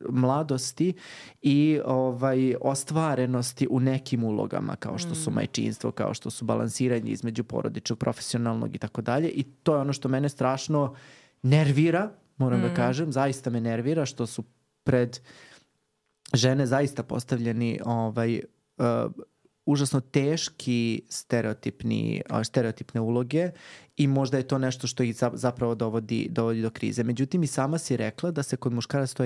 mladosti i ostvarenosti u nekim ulogama, kao što su majčinstvo, kao što su balansiranje između porodičnog, profesionalnog i tako dalje. I to je ono što mene strašno nervira, moram da kažem, zaista me nervira što su pred žene zaista postavljeni užasno teški stereotipne uloge i možda je to nešto što ih zapravo dovodi do krize. Međutim, i sama si rekla da se kod muškaraca to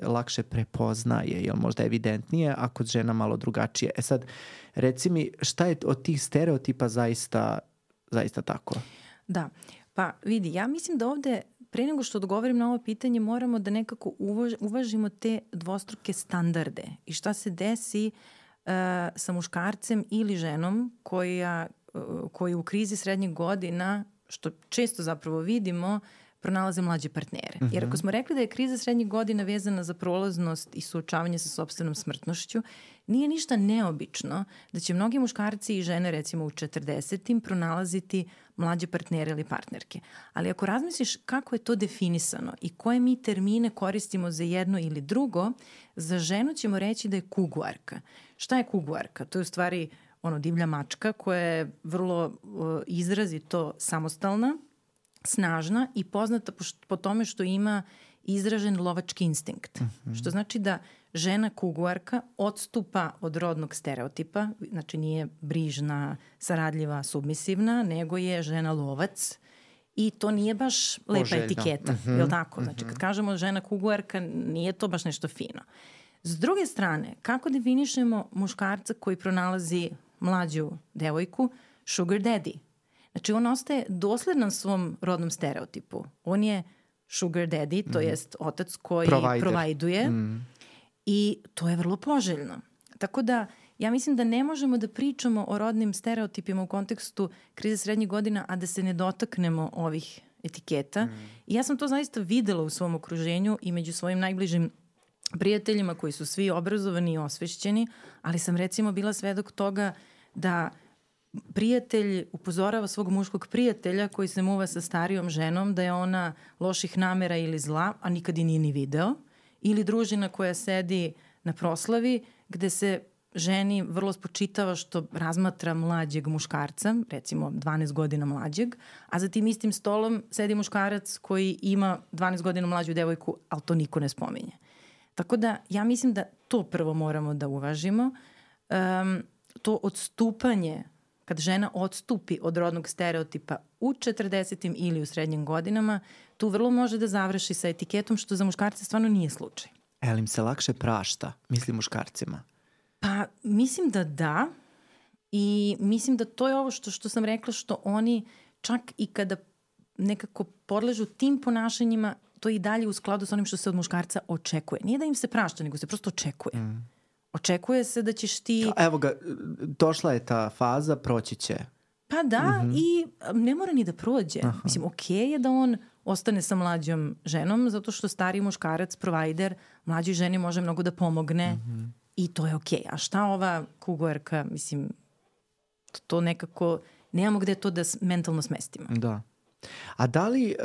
lakše prepoznaje, jer možda je evidentnije, a kod žena malo drugačije. Sad, reci mi, šta je od tih stereotipa zaista tako? Da, pa vidi, ja mislim da ovde pre nego što odgovorim na ovo pitanje moramo da nekako uvažimo te dvostruke standarde i šta se desi sa muškarcem ili ženom koji u krizi srednjih godina, što često zapravo vidimo, pronalaze mlađe partnere. Jer ako smo rekli da je kriza srednjih godina vezana za prolaznost i suočavanje sa sopstvenom smrtnošću, nije ništa neobično da će mnogi muškarci i žene recimo u 40-im pronalaziti mlađe partnere ili partnerke. Ali ako razmisliš kako je to definisano i koje mi termine koristimo za jedno ili drugo, za ženu ćemo reći da je kuguarka. Šta je kuguarka? To je u stvari divlja mačka koja je vrlo izrazito samostalna, snažna i poznata po tome što ima izražen lovački instinkt. Što znači da žena kuguarka odstupa od rodnog stereotipa, znači nije brižna, saradljiva, submisivna, nego je žena lovac i to nije baš lepa etiketa. Je li tako? Znači kad kažemo žena kuguarka, nije to baš nešto fino. S druge strane, kako definišemo muškarca koji pronalazi mlađu devojku? Sugar daddy. Znači on ostaje dosledan svom rodnom stereotipu. On je sugar daddy, to jest otac koji provajduje i to je vrlo poželjno. Tako da ja mislim da ne možemo da pričamo o rodnim stereotipima u kontekstu krize srednjih godina, a da se ne dotaknemo ovih etiketa. I ja sam to zaista videla u svom okruženju i među svojim najbližim prijateljima koji su svi obrazovani i osvešćeni, ali sam recimo bila svedok toga da prijatelj upozorava svog muškog prijatelja koji se muva sa starijom ženom da je ona loših namera ili zla, a nikad i nije ni video, ili družina koja sedi na proslavi gde se ženi vrlo spočitava što razmatra mlađeg muškarca, recimo 12 godina mlađeg, a za tim istim stolom sedi muškarac koji ima 12 godina mlađu devojku, ali to niko ne spominje. Tako da ja mislim da to prvo moramo da uvažimo. To odstupanje, kad žena odstupi od rodnog stereotipa u 40. ili u srednjim godinama, tu vrlo može da završi sa etiketom, što za muškarce stvarno nije slučaj. Ali im se lakše prašta, mislim muškarcima? Pa mislim da i mislim da to je ovo što sam rekla, što oni čak i kada nekako podležu tim ponašanjima, to je i dalje u skladu sa onim što se od muškarca očekuje. Nije da im se prašta, nego se prosto očekuje. Očekuje se da ćeš ti... Evo ga, došla je ta faza, proći će. Pa da, i ne mora ni da prođe. Mislim, okej je da on ostane sa mlađom ženom, zato što stari muškarac, provider, mlađoj ženi može mnogo da pomogne i to je okej. A šta ova kuguarka, mislim, to nekako, nemamo gde to da mentalno smestimo. Da. A da li,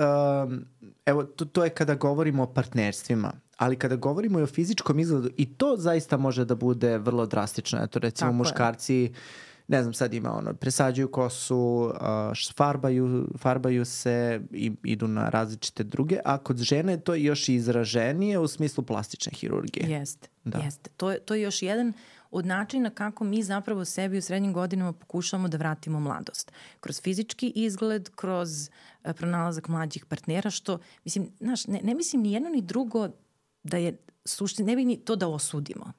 evo, to je kada govorimo o partnerstvima, ali kada govorimo i o fizičkom izgledu, i to zaista može da bude vrlo drastično. Eto, recimo, muškarci, ne znam, sad ima presađuju kosu, farbaju se i idu na različite druge, a kod žene to je još izraženije u smislu plastične hirurgije. Jeste. To je još jedan od načina kako mi zapravo sebi u srednjim godinama pokušamo da vratimo mladost. Kroz fizički izgled, kroz pronalazak mlađih partnera, što, mislim, znaš, ne mislim ni jedno ni drugo da je suština, ne bi ni to da osudimo,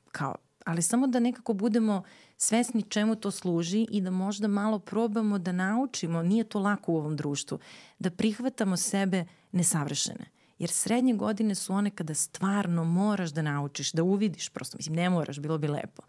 ali samo da nekako budemo svesni čemu to služi i da možda malo probamo da naučimo, nije to lako u ovom društvu, da prihvatamo sebe nesavršene. Jer srednje godine su one kada stvarno moraš da naučiš, da uvidiš, prosto, mislim, ne moraš, bilo bi lepo,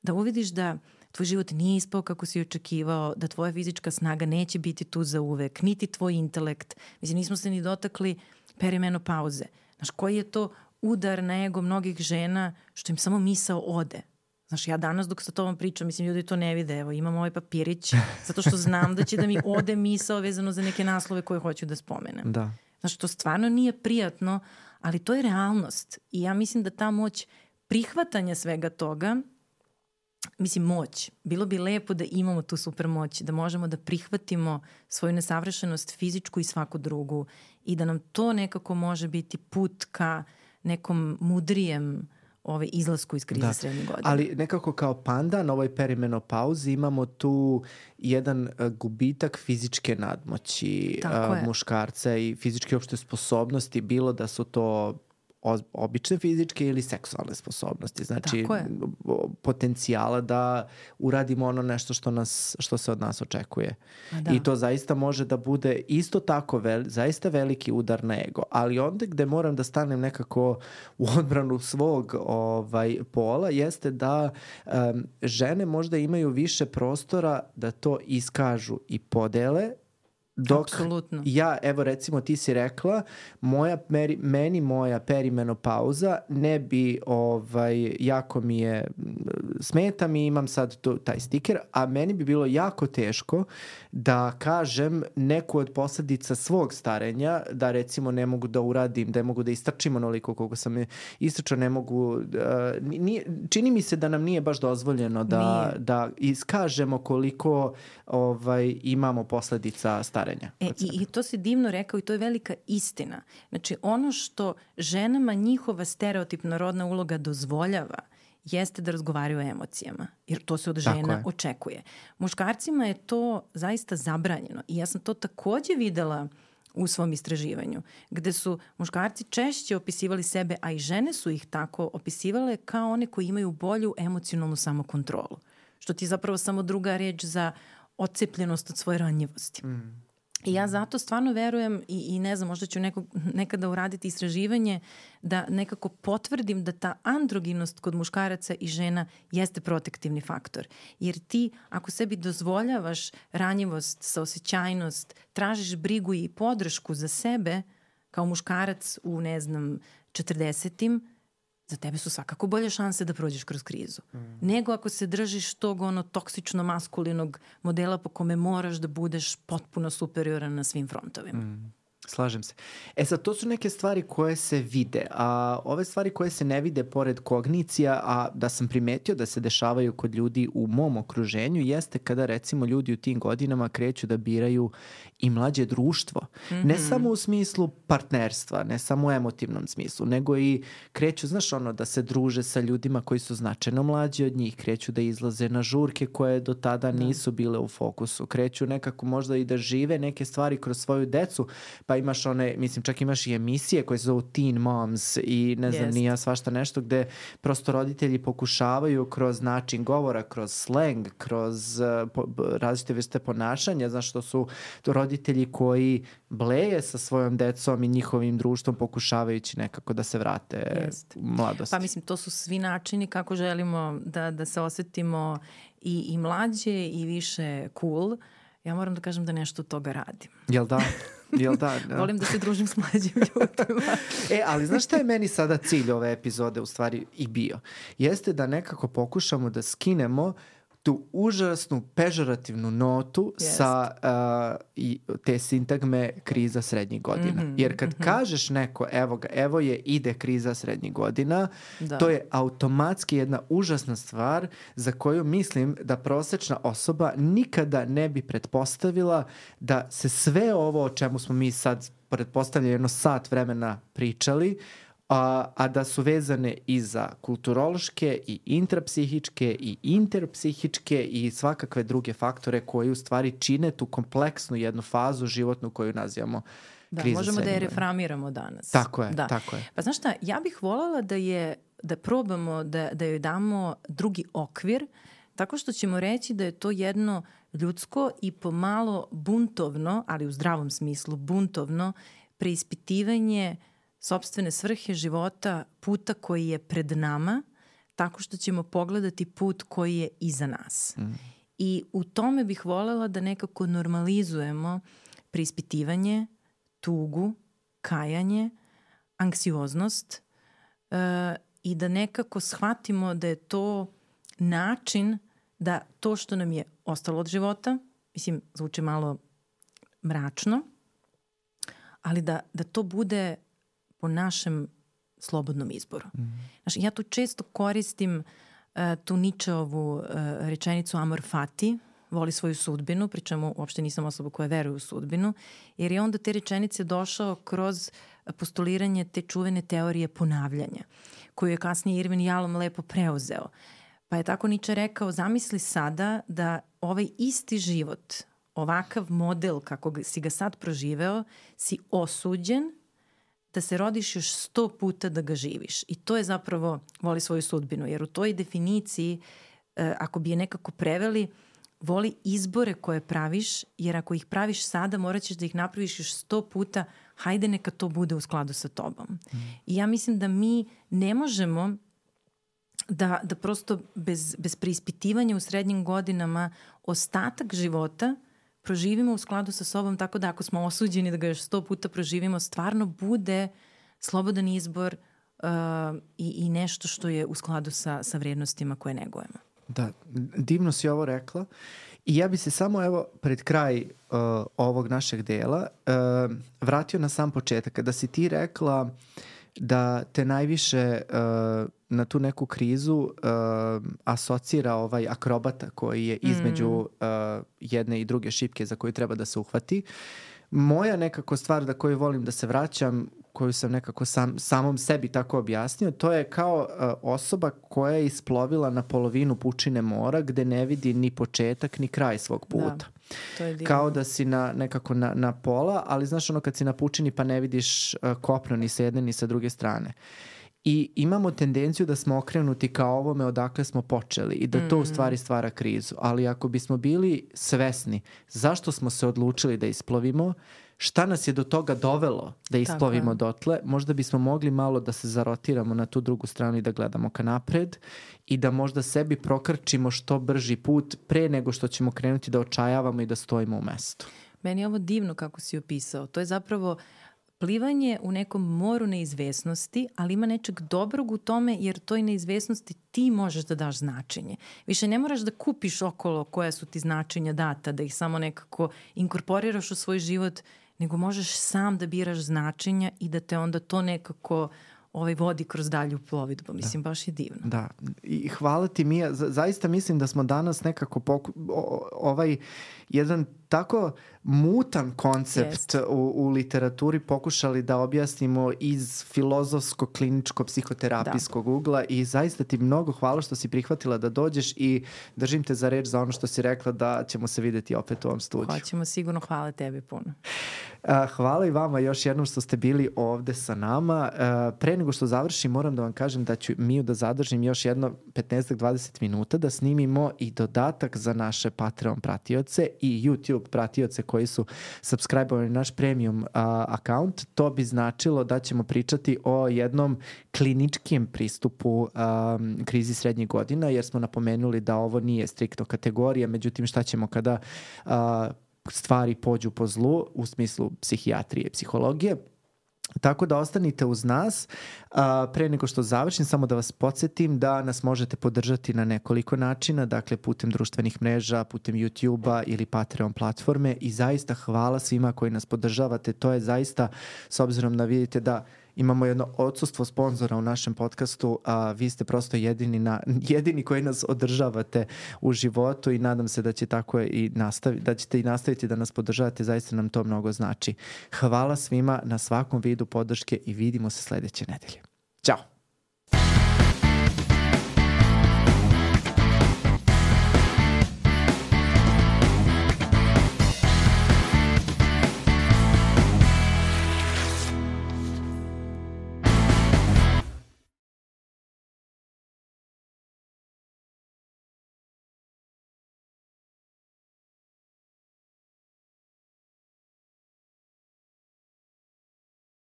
da uvidiš da tvoj život nije ispao kako si očekivao, da tvoja fizička snaga neće biti tu za uvek, niti tvoj intelekt. Mislim, nismo se ni dotakli perimenopauze. Znaš, koji je to udar na ego mnogih žena što im samo misao ode. Znaš, ja danas dok sa tobom pričam, mislim, ljudi to ne vide, evo, imam ovaj papirić, zato što znam da će da mi ode misao vezano za neke naslove koje hoću da spomenem. Da. Znaš, to stvarno nije prijatno, ali to je realnost. I ja mislim da ta moć prihvatanja svega toga, mislim, moć. Bilo bi lepo da imamo tu super moć, da možemo da prihvatimo svoju nesavršenost fizičku i svaku drugu i da nam to nekako može biti put ka nekom mudrijem izlasku iz krize srednjih godina. Ali nekako kao pandan na ovoj perimenopauzi imamo tu jedan gubitak fizičke nadmoći muškarca i fizičke uopšte sposobnosti, bilo da su to obične fizičke ili seksualne sposobnosti. Znači, potencijala da uradimo ono nešto što se od nas očekuje. I to zaista može da bude isto tako zaista veliki udar na ego. Ali onda gde moram da stanem nekako u odbranu svog pola jeste da žene možda imaju više prostora da to iskažu i podele. Dok ja, evo recimo ti si rekla, meni moja perimenopauza ne bi, jako mi je, smeta mi, imam sad taj stiker, a meni bi bilo jako teško da kažem neku od posledica svog starenja, da recimo ne mogu da uradim, da ne mogu da istrčim onoliko koliko sam istrčao, ne mogu, čini mi se da nam nije baš dozvoljeno da iskažemo koliko imamo posledica starenja. I to si divno rekao i to je velika istina. Znači, ono što ženama njihova stereotipna rodna uloga dozvoljava jeste da razgovaraju o emocijama, jer to se od žena očekuje. Muškarcima je to zaista zabranjeno i ja sam to takođe videla u svom istraživanju, gde su muškarci češće opisivali sebe, a i žene su ih tako opisivale kao one koji imaju bolju emocionalnu samokontrolu. Što ti je zapravo samo druga reč za odcepljenost od svoje ranjivosti. I ja zato stvarno verujem i ne znam, možda ću nekada uraditi istraživanje da nekako potvrdim da ta androginost kod muškaraca i žena jeste protektivni faktor. Jer ti, ako sebi dozvoljavaš ranjivost, saosećajnost, tražiš brigu i podršku za sebe kao muškarac u, 40-im, za tebe su svakako bolje šanse da prođeš kroz krizu. Nego ako se držiš tog toksično maskulinog modela po kome moraš da budeš potpuno superioran na svim frontovima. Slažem se. Sad, to su neke stvari koje se vide, a ove stvari koje se ne vide pored kognicija, a da sam primetio da se dešavaju kod ljudi u mom okruženju, jeste kada recimo ljudi u tim godinama kreću da biraju i mlađe društvo. Ne samo u smislu partnerstva, ne samo u emotivnom smislu, nego i kreću, da se druže sa ljudima koji su značajno mlađi od njih, kreću da izlaze na žurke koje do tada nisu bile u fokusu, kreću nekako možda i da žive neke stvari kroz svoju decu, pa imaš čak imaš i emisije koje se zovu Teen Moms i ne znam, nije svašta nešto gde prosto roditelji pokušavaju kroz način govora, kroz slang, kroz različite vrste ponašanja, što su roditelji koji bleje sa svojom decom i njihovim društvom pokušavajući nekako da se vrate u mladosti. Pa mislim, to su svi načini kako želimo da se osetimo i mlađe i više cool. Ja moram da kažem da nešto od toga radim. Jel da? Volim da se družim s mlađim ljudima. Ali znaš šta je meni sada cilj ove epizode u stvari i bio? Jeste da nekako pokušamo da skinemo tu užasnu pežorativnu notu sa te sintagme kriza srednjih godina. Jer kad kažeš neko, evo je, ide kriza srednjih godina, to je automatski jedna užasna stvar za koju mislim da prosečna osoba nikada ne bi pretpostavila da se sve ovo o čemu smo mi sad pretpostavljeno jedno sat vremena pričali, a da su vezane i za kulturološke i intrapsihičke i interpsihičke i svakakve druge faktore koji u stvari čine tu kompleksnu jednu fazu životnu koju nazivamo kriza. Možemo da je reframiramo danas. Tako je. Pa znaš šta, ja bih voljela da probamo da joj damo drugi okvir, tako što ćemo reći da je to jedno ljudsko i pomalo buntovno, ali u zdravom smislu buntovno, preispitivanje sopstvene svrhe života, puta koji je pred nama, tako što ćemo pogledati put koji je iza nas. I u tome bih voljela da nekako normalizujemo preispitivanje, tugu, kajanje, anksioznost i da nekako shvatimo da je to način da to što nam je ostalo od života, mislim, zvuči malo mračno, ali da to bude po našem slobodnom izboru. Znaš, ja tu često koristim tu Ničeovu rečenicu amor fati, voli svoju sudbinu, pri čemu uopšte nisam osoba koja veruje u sudbinu, jer je onda te rečenice došao kroz postuliranje te čuvene teorije ponavljanja, koju je kasnije Irvin Yalom lepo preuzeo. Pa je tako Niče rekao, zamisli sada da ovaj isti život, ovakav model kako si ga sad proživeo, si osuđen da se rodiš još 100 puta da ga živiš. I to je zapravo voli svoju sudbinu, jer u toj definiciji, ako bi je nekako preveli, voli izbore koje praviš, jer ako ih praviš sada, morat ćeš da ih napraviš još 100 puta, hajde neka to bude u skladu sa tobom. I ja mislim da mi ne možemo da prosto bez preispitivanja u srednjim godinama ostatak života proživimo u skladu sa sobom, tako da ako smo osuđeni da ga još 100 puta proživimo, stvarno bude slobodan izbor i nešto što je u skladu sa vrednostima koje negujemo. Da, divno si ovo rekla. I ja bi se samo evo pred kraj ovog našeg dela vratio na sam početak. Kada si ti rekla da te najviše na tu neku krizu asocira ovaj akrobata koji je između jedne i druge šipke za koju treba da se uhvati. Moja nekako stvar da koju volim da se vraćam, koju sam nekako samom sebi tako objasnio, to je kao osoba koja je isplovila na polovinu pučine mora gde ne vidi ni početak ni kraj svog puta. Da, to je divno. Kao da si nekako na pola, ali znaš ono kad si na pučini pa ne vidiš kopno ni sa jedne ni sa druge strane. I imamo tendenciju da smo okrenuti ka ovome odakle smo počeli i da to u stvari stvara krizu. Ali ako bismo bili svesni zašto smo se odlučili da isplovimo, šta nas je do toga dovelo da isplovimo dotle, možda bismo mogli malo da se zarotiramo na tu drugu stranu i da gledamo ka napred i da možda sebi prokrčimo što brži put pre nego što ćemo krenuti da očajavamo i da stojimo u mestu. Meni je ovo divno kako si opisao. To je zapravo plivanje u nekom moru neizvesnosti, ali ima nečeg dobrog u tome jer toj neizvesnosti ti možeš da daš značenje. Više ne moraš da kupiš okolo koja su ti značenja data, da ih samo nekako inkorporiraš u svoj život, nego možeš sam da biraš značenja i da te onda to nekako vodi kroz dalju plovidbu. Mislim, baš je divno. Da, i hvala ti Mija. Zaista mislim da smo danas nekako jedan tako mutan koncept u literaturi pokušali da objasnimo iz filozofsko-kliničko-psihoterapijskog ugla i zaista ti mnogo hvala što si prihvatila da dođeš i držim te za reč za ono što si rekla da ćemo se videti opet u ovom studiju. Hoćemo sigurno, hvala tebi puno. Hvala i vama još jednom što ste bili ovde sa nama. Pre nego što završim, moram da vam kažem da ću Miju da zadržim još jedno 15-20 minuta da snimimo i dodatak za naše Patreon pratioce i YouTube pratioce koji su subscribe-ovali naš premium account. To bi značilo da ćemo pričati o jednom kliničkim pristupu krizi srednjih godina, jer smo napomenuli da ovo nije striktno kategorija, međutim šta ćemo kada stvari pođu po zlu u smislu psihijatrije i psihologije. Tako da ostanite uz nas. Pre nego što završim, samo da vas podsjetim da nas možete podržati na nekoliko načina, dakle putem društvenih mreža, putem YouTube-a ili Patreon platforme i zaista hvala svima koji nas podržavate. To je zaista, s obzirom da vidite da imamo jedno odsustvo sponzora u našem podcastu, a vi ste prosto jedini koji nas održavate u životu i nadam se da će tako da ćete i nastaviti da nas podržavate, zaista nam to mnogo znači. Hvala svima na svakom vidu podrške i vidimo se sledeće nedelje. Ćao!